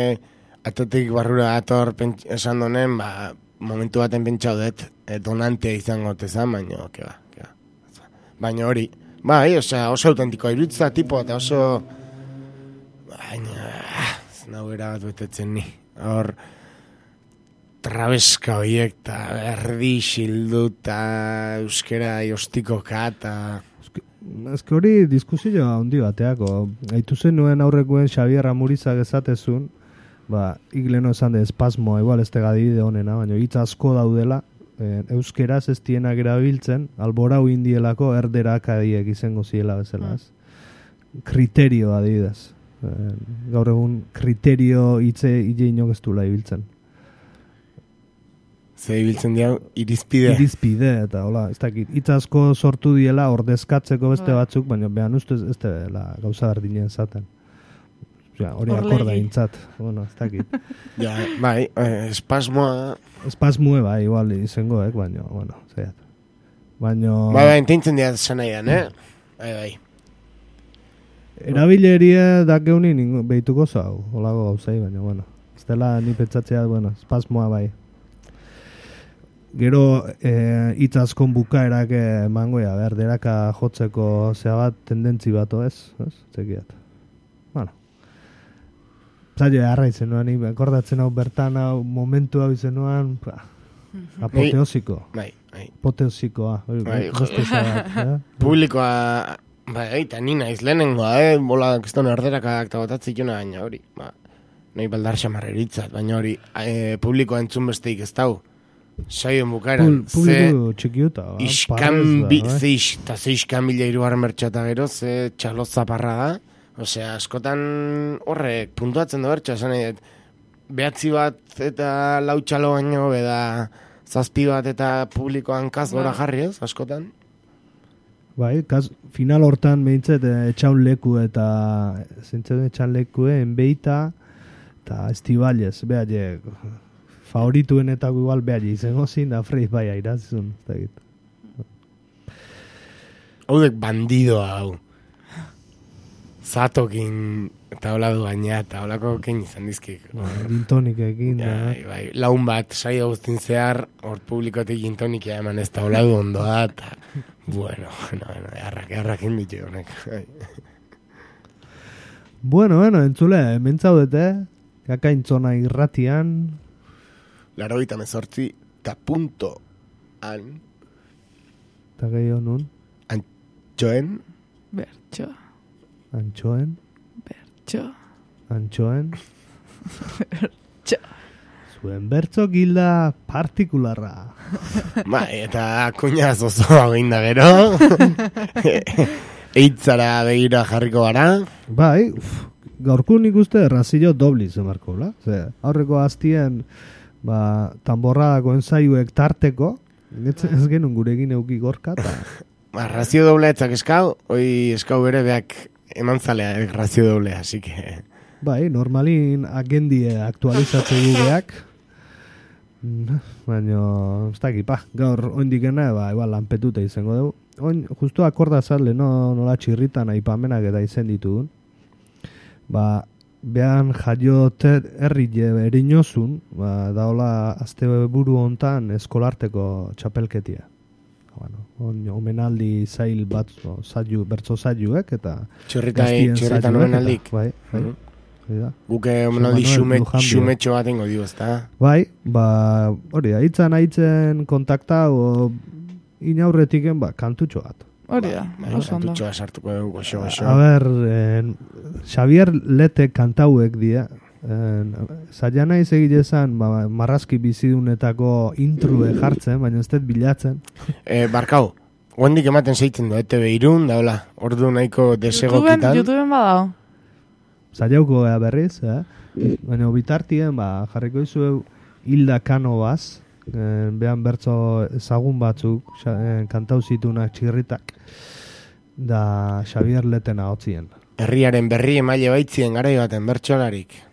atotik barrura ator esan donen, momentu baten pentsaudet, donantea izango tezan, baina, keba. Baina hori, bai, oso autentikoa iruditza tipo, eta oso... Baina, nahuera bat betetzen ni. Hor, trabeska horiek, eta erdi xilduta, euskera jostikoka, eta... Ez que hori diskusioa handi bateako. Aitu zenuen aurrekoen Xabier Amurizak esatezun, igleno esan de espasmoa, igual ez tegadide honena, baina hitz asko daudela, euskeraz ez dienak erabiltzen, alborau indielako erderak adiek izango ziela bezala, kriterio adidaz. Gaur egun kriterio hitze inok ez duela ibiltzen. Ze ibiltzen dira irizpide. Irizpide, eta hola, ez dakit, hitz asko sortu diela ordezkatzeko beste batzuk, baina behan ustez ez dela gauza berdinen zaten. Hori akorda intzat, bueno, ez dakit. Ja, bai, espasmoa... Espasmue, bai, igual izango, baina, bueno, zeiat. Baina... Bai, entintzen dira esan nahian, Bai. Erabileria dakeuni behituko zau, holago gauzai, baina, bueno. Ez dela ni pentsatzea, bueno, espasmoa, bai. Gero hitz askon bukaerak emangoia, berderaka jotzeko zea bat tendentzi bato ez? Txekiat. Bueno. Zailo harra izenuan, akordatzen hau bertan hau momentu hau izenuan, apoteosiko. Bai. Apoteosikoa. Publikoa, bai, eta nina izlenengoa, bola kiston erderakak eta botatzik jona baina hori. Nahi baldar xamarreritzat, baina hori publikoa entzun besteik ez dau. Saioen bukaeran, publiko txikiuta, ze iskanbila irugarren bertxata gero, ze txaloz zaparra da. Osea, askotan horrek puntuatzen da bertxa, esan nahi, behatzi bat eta lau txalo baino, beda zazpi bat eta publikoan kaz gora jarri ez, askotan. Bai, final hortan behintzet etxaun leku eta zentzen etxaun leku enbeita eta estibalez, behar favorituenetako igual behar izango zin da freiz bai airazun. Haudek bandidoa hau. Zatokin eta hola du gaina eta holako kein izan dizkik. Gintonik egin da. Bai, laun bat, saio guztin zehar, hor publikotik gintonikia eman ez da hola du ondoa eta bueno, errakin ditu honek. Bueno, entzule, mentzaudete, kakaintzona irratian. 88 eta punto an. Eta gehiago nun? Antxoen. Bertxo. Antxoen. Bertxo. Antxoen. Bertxo. Zuen bertxo gilda partikularra. Bai, eta kuñaz oso eginda gero. Eitzara begira jarriko gara. Bai, gaurko nik uste razillo dobli zemarko, la? Aurreko aztien tamborradako ensaiuek tarteko, ez genuen gurekin euki gorka. Razio doble etzak eskau, hoi eskau bere beak eman zalea razio doble, así que... Bai, normalin agendie aktualizatzen gubeak, baina, ez dakipa, gaur oindikena, igual lanpetuta izango dugu. Oin, justu akorda zale, nola txirritan aipamenak eta izen ditugun. Behan jaiote herri erinozun, daola azte buru hontan eskolarteko txapelketia. Omenaldi zail bat bertzo zailuek eta txorritan omenaldik. Bai. Guke omenaldi xumetxo bat ingo dio, ezta? Bai, hori da, hitzen kontakta inaurretiken kantutxo bat. Hori da, kantutxoa sartuko dugu, goxo. A ber, Xavier Lete kantauek dira, zaila nahi segilezan marrazki bizidunetako intrue jartzen, baina ez dut bilatzen. Barkau, guendik ematen zeitzen du, ETV irun, da hola, ordu nahiko desegokitan. YouTubeen badao. Zailauko gara berriz, baina bitartien jarriko izu Hilda Canovas, behan bertzo ezagun batzuk, kantau zitunak txirritak, da Xavier Leten ahotzien. Herriaren berri emaile baitzien garai baten bertxolarik.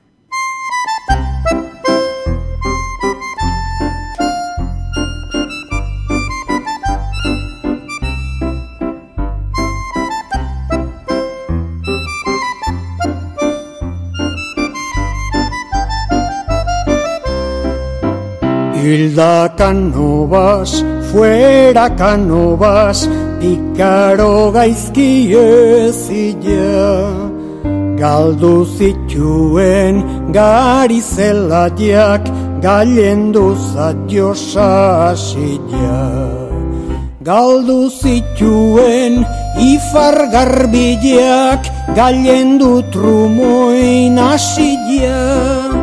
Hilda Canovas, fuera Canovas, pikaro gaizki ezila. Galdu zituen gari zelaiak, gailendu zaio sasila. Galdu zituen ifar garbileak, gailendu trumoin asila.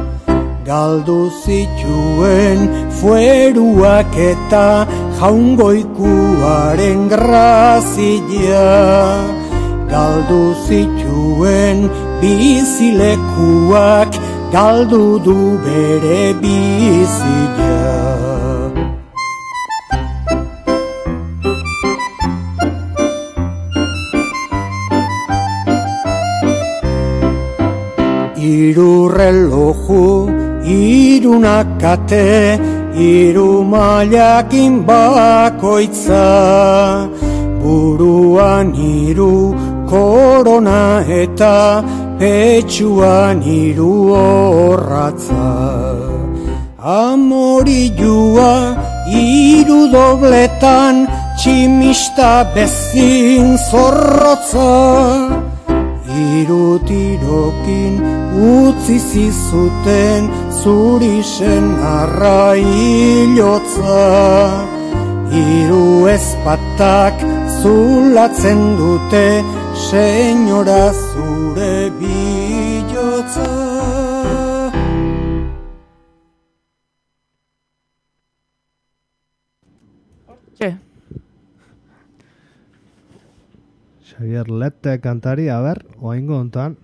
Galdu zituen fueruak eta jaungoikuaren grazia. galdu zituen bizilekuak, galdu du bere bizia. Hiru reloju, hiru nakate, hiru mailakin bakoitza, buruan hiru korona eta petxuan hiru orratza. Amorilua hiru dobletan, tximista bezin zorrotza, hiru tirokin utzi zizuten zuri senarra hilotza. Hiru ezpatak zulatzen dute senyora zure bilotza. Xavier Lete kantari, a ber, oaingo ontan.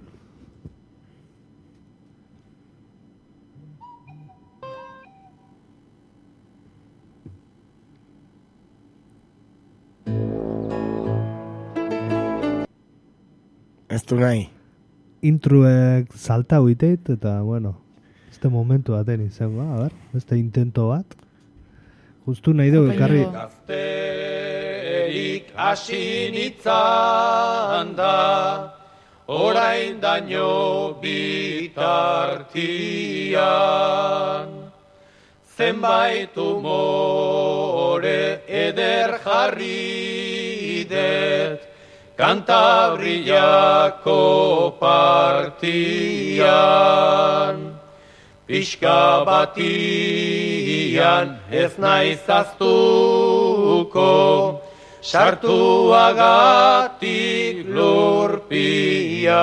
Ez du nahi. Intruek salta huiteit, eta, bueno, este momentu baten izango, a ber, este intento bat. Justu nahi dugu ekarri... Gazterik asinitzan da, orain daño bitartian. Zenbait umore eder jarri det, Kantabriako partian. Pixka batian ez naiz aztuko, sartuagatik lurpian.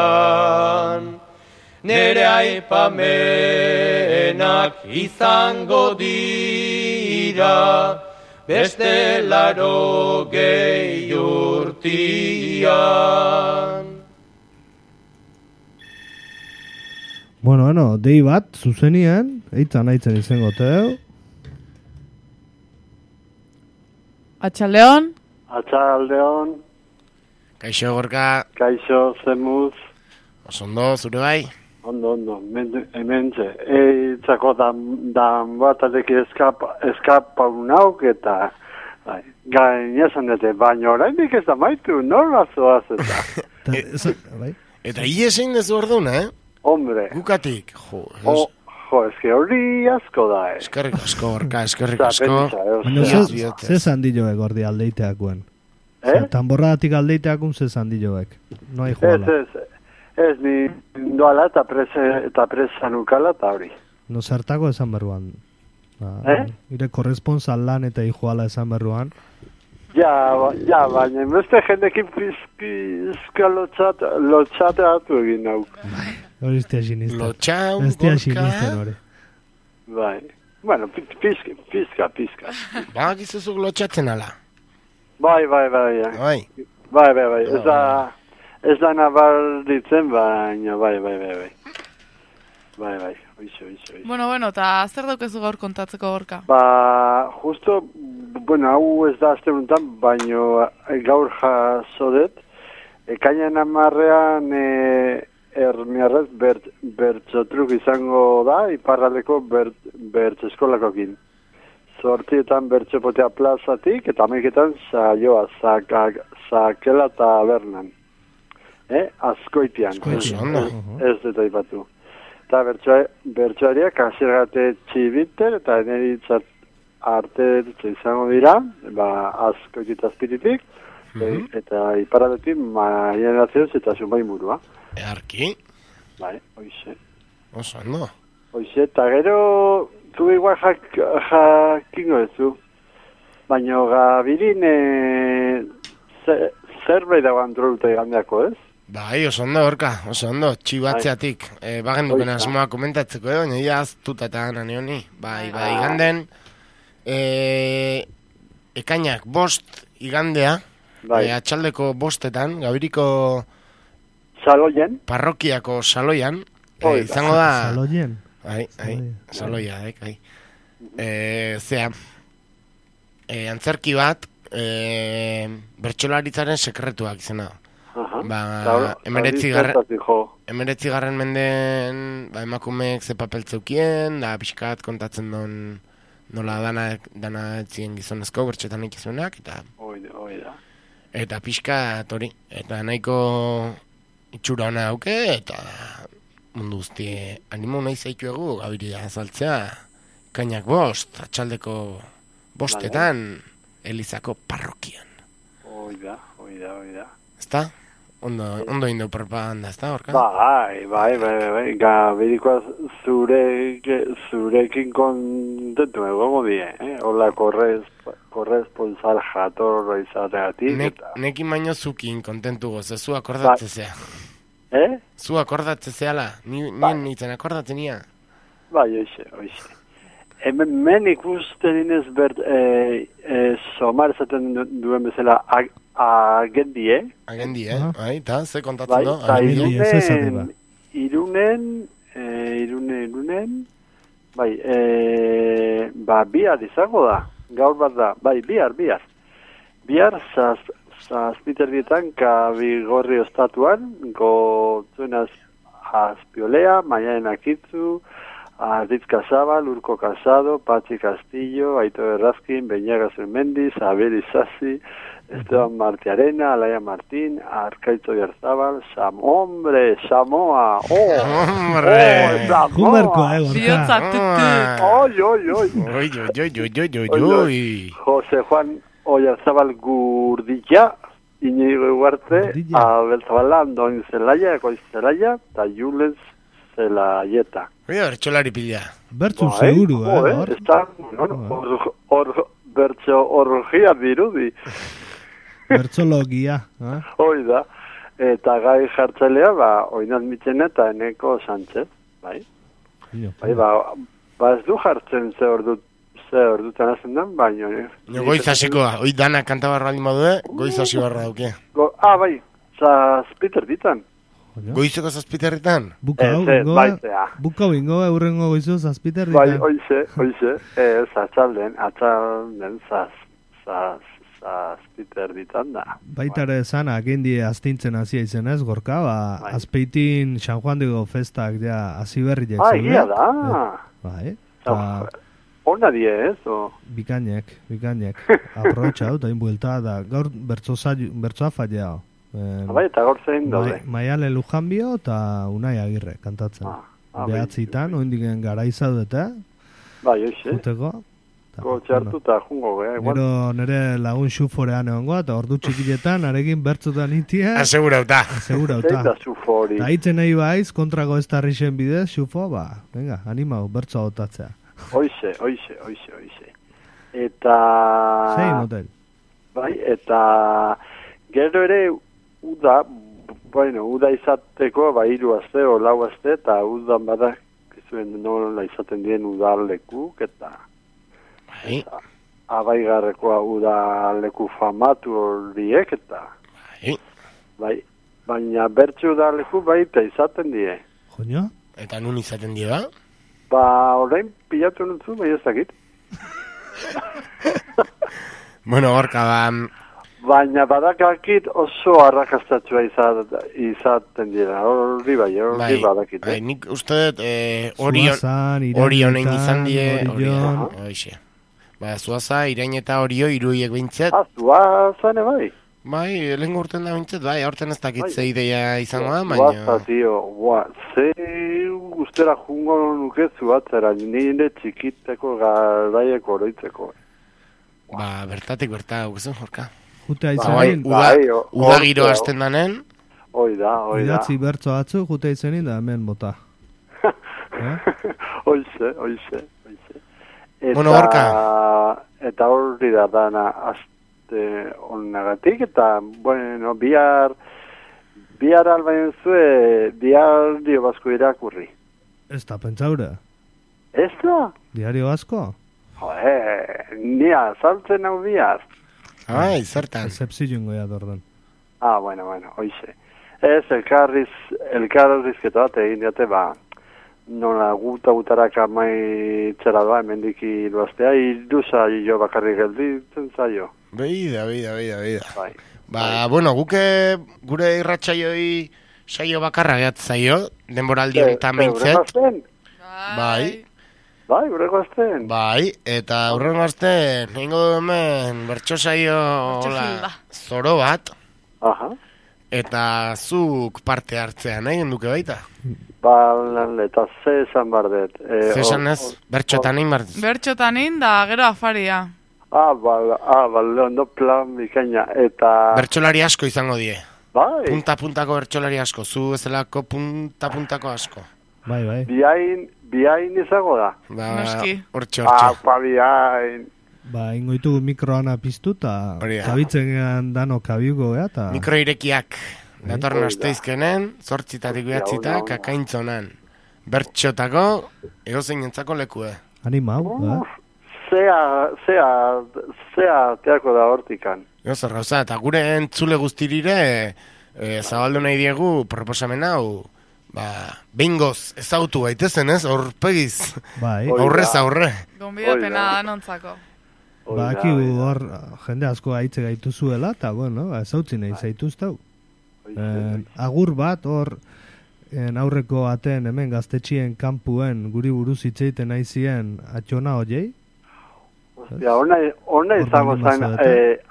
Nere aipamenak izango dira, beste 80 urtian. Bueno, dei bat, zuzenien, eitzan aitzen izango teu. Atxaldeon. Atxaldeon. Kaixo, Gorka. Kaixo, zemuz. Osondo, zure bai? Ondo, hemen ze. Eitzako dan bat aleki eskapa unauk eta gainezan dute, baina oraindik ez da maitu, norra zoaz eta. Eta iesein dezu orduna, Hombre. Gukatik, eske hori asko da, Eskerrik asko, Gorka, eskerrik asko. Ze zandilloek ordi aldeiteakuen? Tamborradatik aldeiteakun ze zandilloek? No hai joala. Ez, ni doala eta presan ukala eta hori. No zertako esan berruan. Ire korresponsal lan eta hijoala esan berruan. Ja, baina beste jendekin pizka lotxateatu egin nauk. Hori iztea sinisten. Lotxaun, Gorka. Sinisten hori. Bai. Bueno, pizka. Ba, gizuzuk lotxatzen ala. Bai. Ez da nabarditzen, baina bai. Oixo. Bueno, eta zer daukezu gaur kontatzeko, Gorka? Justo, hau ez da azte honetan, baina gaur jasodet, ekainan 10ean ermiarrez bertxotruk izango da, iparraldeko bertxo eskolakokin. 8etan bertxopotea plazatik, eta 11etan saioa, Zakela tabernan. Azkoitian. Ez dut aipatu. Eta bertsoariak azirgate txibiter eta eneritzat arte izango dira, Azkoitita azpiritik, eta iparradetik Marianazioz eta Zumbai murua. Earki? Bai, oixe. Oso, no? Oixe, eta gero, zu igual jakingo ezu. Baina gabirin zerbait dago antolute gandeako, ez? Bai, oso ondo, Gorka, oso ondo, txibatzeatik. Bagen duken asmoa komentatzeko, nire aztuta eta gana neoni. Bai, iganden, ekainak 5 igandea, atxaldeko 5:00, Gabiriko Saloien. Parrokiako saloian, izango da... Saloien? Saloia, zea, antzerki bat, bertsolaritzaren sekretuak izena. Ba, 19. mendeen emakumeek ze papel zeukien, da pixkat kontatzen duen nola dana etzien gizonezko bertxetan ikizuenak, eta pixkat hori, eta nahiko itxura hona dauke, eta mundu guzti animo nahi zaituegu Gabiria azaltzea, kainak 5, atxaldeko 5:00, Elizako parrokian. Oida. Ezta? Ondo indau propaganda, ezta, horka? Bai. Gabirikoa zurekin kontentu egongo die, Hola, korresponsal jatorra izateatik. Nekin baino zukin kontentu goze, zu akordatzezea. Zu akordatzezeala, nien nintzen akordatzenia. Bai, oixe. Hemen ikusten inez somar esaten duen bezala agendie. Bai, eta ze kontatzen do? Irunen, bai, bihar izango da, gaur bat da, bai, bihar. Bihar, zazpiterbietan, Kabigorri ostatuan, gotzuenaz Azpiolea, Maialen Akitzu, Arditz Casabal, Urko Casado, Patxi Castillo, Aito Errazkin, Beñaga Zermendi, Abel Isasi, Esteban Martiarena, Alaia Martín, Arkaitzo Yarzabal, Samoa, José Juan Oyarzabal Gurdilla, Iñigo Iguarte, Abel Zabala, Andoni Zelaya, Goiz Zelaya, eta Jules Zelaieta. Bertxolari pila. Bertxu seguru, bertxo orgia dirudi. Bertxologia. Hoi da. Eta gai jartzailea, Oinat Mitxena eta Eneko Sánchez, bai? Ez du jartzen ze ordutan hazen den, baina... Goiz hasikoa, hoi dana kantabarra aldin badue, goiz hasi barra dauke. Bai, zazpiter ditan. Goizeko zazpiterritan? Bukau ingo, eurrengo goizo zazpiterritan. Bai, oize, atxalden zazpiterritan da. Baitare esan, agendie aztintzen hasia izen ez, Gorka, azpeitin San Juan digo festak ja hasi berriak zuen. Ia da. Bai, ona die ez, Bikainek, aprobetxa dut, hain buelta, da gaur bertsoa fallea. Bai, eta gaur zein daude. Maiale Lujanbio eta Unai Agirre kantatzen. Behatzitan, oindiken gara izaudete. Bai, oixe. Juteko. Txartu eta jungo, Gero nire lagun xuforean egongo, eta ordu txikiletan, arekin bertzotan itia. Asegurauta. Eta xufori. Eta hitzen nahi baiz, kontrako ez tarrixen bidez, xufo, venga, animau, bertzoa otatzea. Oixe. Eta... Zein motel. Bai, eta... Gero ere, uda izateko, 3 aste o 4 aste, eta udan badak, izuen nola izaten dien udalekuk, eta abaigarrekoa udaleku famatu horiek, eta baina bertxe udaleku baita izaten die. Joño? Eta nun izaten die, ba? Orain pilatu nutzu, bai ez dakit. Bueno, Gorka, Baina badakakit oso arrakastatua izaten dira, hori badakit. Bai, nik uste dut Orionen izan die, Orion. Zuaza, Irain eta Orio, iruiek bintzet. Zuazane bai. Bai, lehen urten da bintzet, bai, aurten ez dakitze ideia izango da, baina... Zuaza, tio, ze guztera jungo nuke zuatzera, nire txikiteko garaieko oroitzeko. Bertatik guzen, Jorka. Jutea izanin. Uda giro hasten danen. Oida. Idatzi bertzo atzu, jutea izanin da hemen bota. Oize. Bueno, Gorka. Eta horri da dana azte onnagatik, eta, bueno, bihar albaien zue, diario basko irakurri. Ez da, pentsaura. Ez da? Diario basko? Nia, saltzen hau bihar. Ai, zertan. Zepzilun goia dordan. Bueno, oixe. Ez, elkarrizketa bat egin diate, nola gutarak amaitzera doa, hemendik iruaztea, iruza jo bakarrik gelditzen zaio. Beida. Bueno, guke gure irratsaioi saio bakarra gehat zaio, denboraldi honetan meintzet. Bai, urreko azten. Bai, eta urreko azten, nengo hemen bertso saio zoro bat. Eta zuk parte hartzean egin duke baita. Eta ze esan bardet. Ze esan ez, bertxotan egin bardet. Bertxotan egin da, gero afaria. Ondo plan bikaina. Eta... Bertxolari asko izango die. Bai. Punta-puntako bertxolari asko, zu ezelako punta-puntako asko. Bai. Biain izango da. Noski. Hortxe. Biain. Ingoitugu mikroana piztu eta kabitzen dano kabiuko eta... Mikro irekiak. Datorren asteizkenen, 8:00 behatzita, kakaintzonan. Bertxotako, egozein entzako lekue. Animau, Zea teako da hortikan. Zer gauza, eta gure entzule guztirire zabaldu nahi diegu proposamen hau, behingoz ezautu gaitezen, ez? Horpegiz. Aurrez aurre. Gonbidapena da nontzako. Akigu hor jende asko aitze gaitu zuela, eta ezautzen nahi zaituztau. Agur bat hor aurreko aten hemen gaztetxien kanpuen guri buruz hitzeiten nahi zien atxona hoiei. Hona izango zain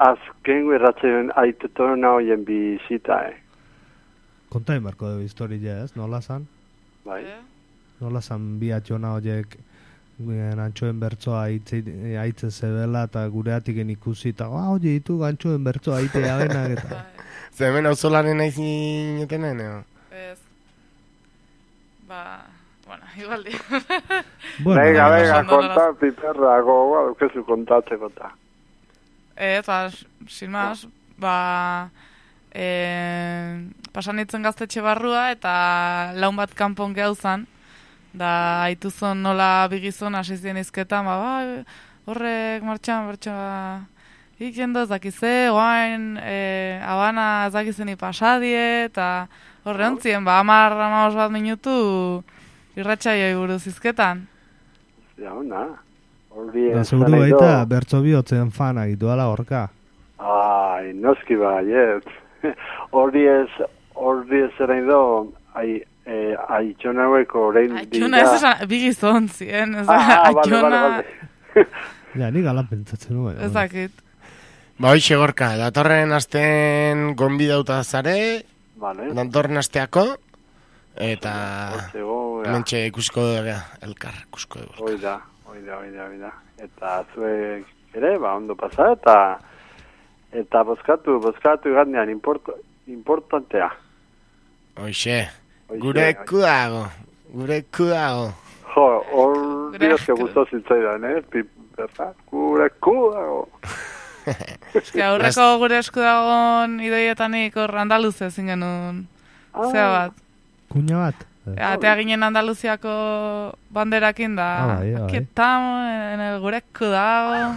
azken guerratzen aitetona hoien bizita, Konta emarko dugu historia ez, nola zan? Bai. Nola zan bi atxona hoiek antxoen bertzoa aitze zebela eta gureatik ikusi eta hoi ditu antxoen bertzoa aitea benak eta... Zer hemen hau zolaren nahi zinetenen, Ez. Igualdi. Venga, konta, piperra, gogoa, dukezu kontatzeko eta. Sin más, pasan itzen gaztetxe barrua eta laun bat kanpon gehauzan, da haituzon nola bigizon asizien izketan, horrek martxan, bertxoa, ikendo ez dakize, oain, abana ez dakizeni pasadie, eta horre ontzien, 10-15 bat minutu irratxaioi buruz izketan. Seguru baita, bertso bihotzen fana gitu ala horka. Noski baiet. Horri ez erain do, aitxona hueko orain dira... Aitxona ez esan, bigizon zien, aitxona... Ni galan pentsatzen nuen. Ezakit. Hoxe gorka, datorren asten gonbidauta zare, datorren asteako, eta mentxe ikusiko dugu, elkar ikusiko dugu. Oida. Eta zuek ere, ondo pasa, eta bozkatu gandean importantea. Hoxe, gure kudago. Hor diozke guztu zitzaidan, gure kudago. Aurreko gure eskudagon ideietanik hor Andaluze zingen nun zea bat. Kuña bat? Atea ginen Andaluziako banderakin da. Aquí estamos en el gure eskudago.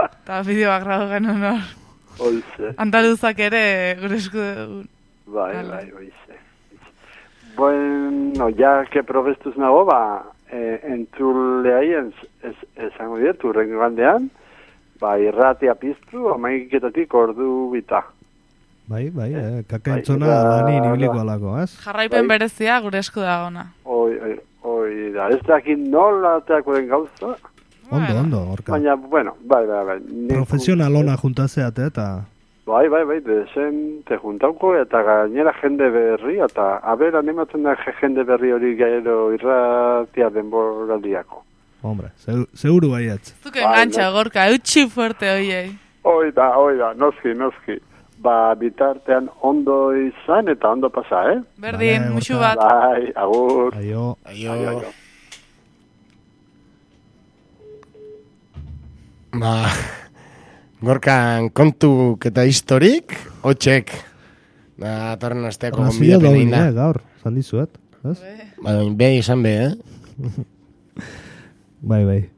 Eta bideoak gradu genuen hor. Andaluzak ere gure eskudagon. Bai, oize. Bueno, ya que probestuz nago, entzuleai esango dietu rengo gandean, irratia piztu, amaiketatik ordu bita. Bai, kakaintzona lani nibiliko alako, ez? Jarraipen berezia gure esku dagona. Oi da, ez dakit nola teako den gauza. Ondo, orka. Baina, bueno, bai. Profesionalona juntazeat, eta... Bai, te juntauko eta gainera jende berri, eta aber animatzen da jende berri hori gairo irratia denboraldiako. Hombre, seguru baiatz. Zuke engancha, gorka, eutxi fuerte hoiei. Oida, noski. Bitartean ondo izan eta ondo pasa, Berdin, musu bat. Bai, agur. Aio. Gorkan kontuk eta historik, hotxek. Torren asteako gonbidapen egin da. Gaur, zan dizuet, ez? Bai, izan be, Bai.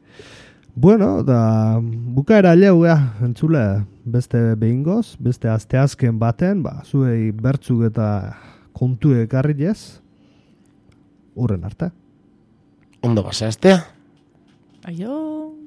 Bueno, da bukaera jau, entzule. beste behingoz, beste asteazken baten, zuei bertzuk eta kontu ekarri ez, urren arte. Ondo basa astea. Aio.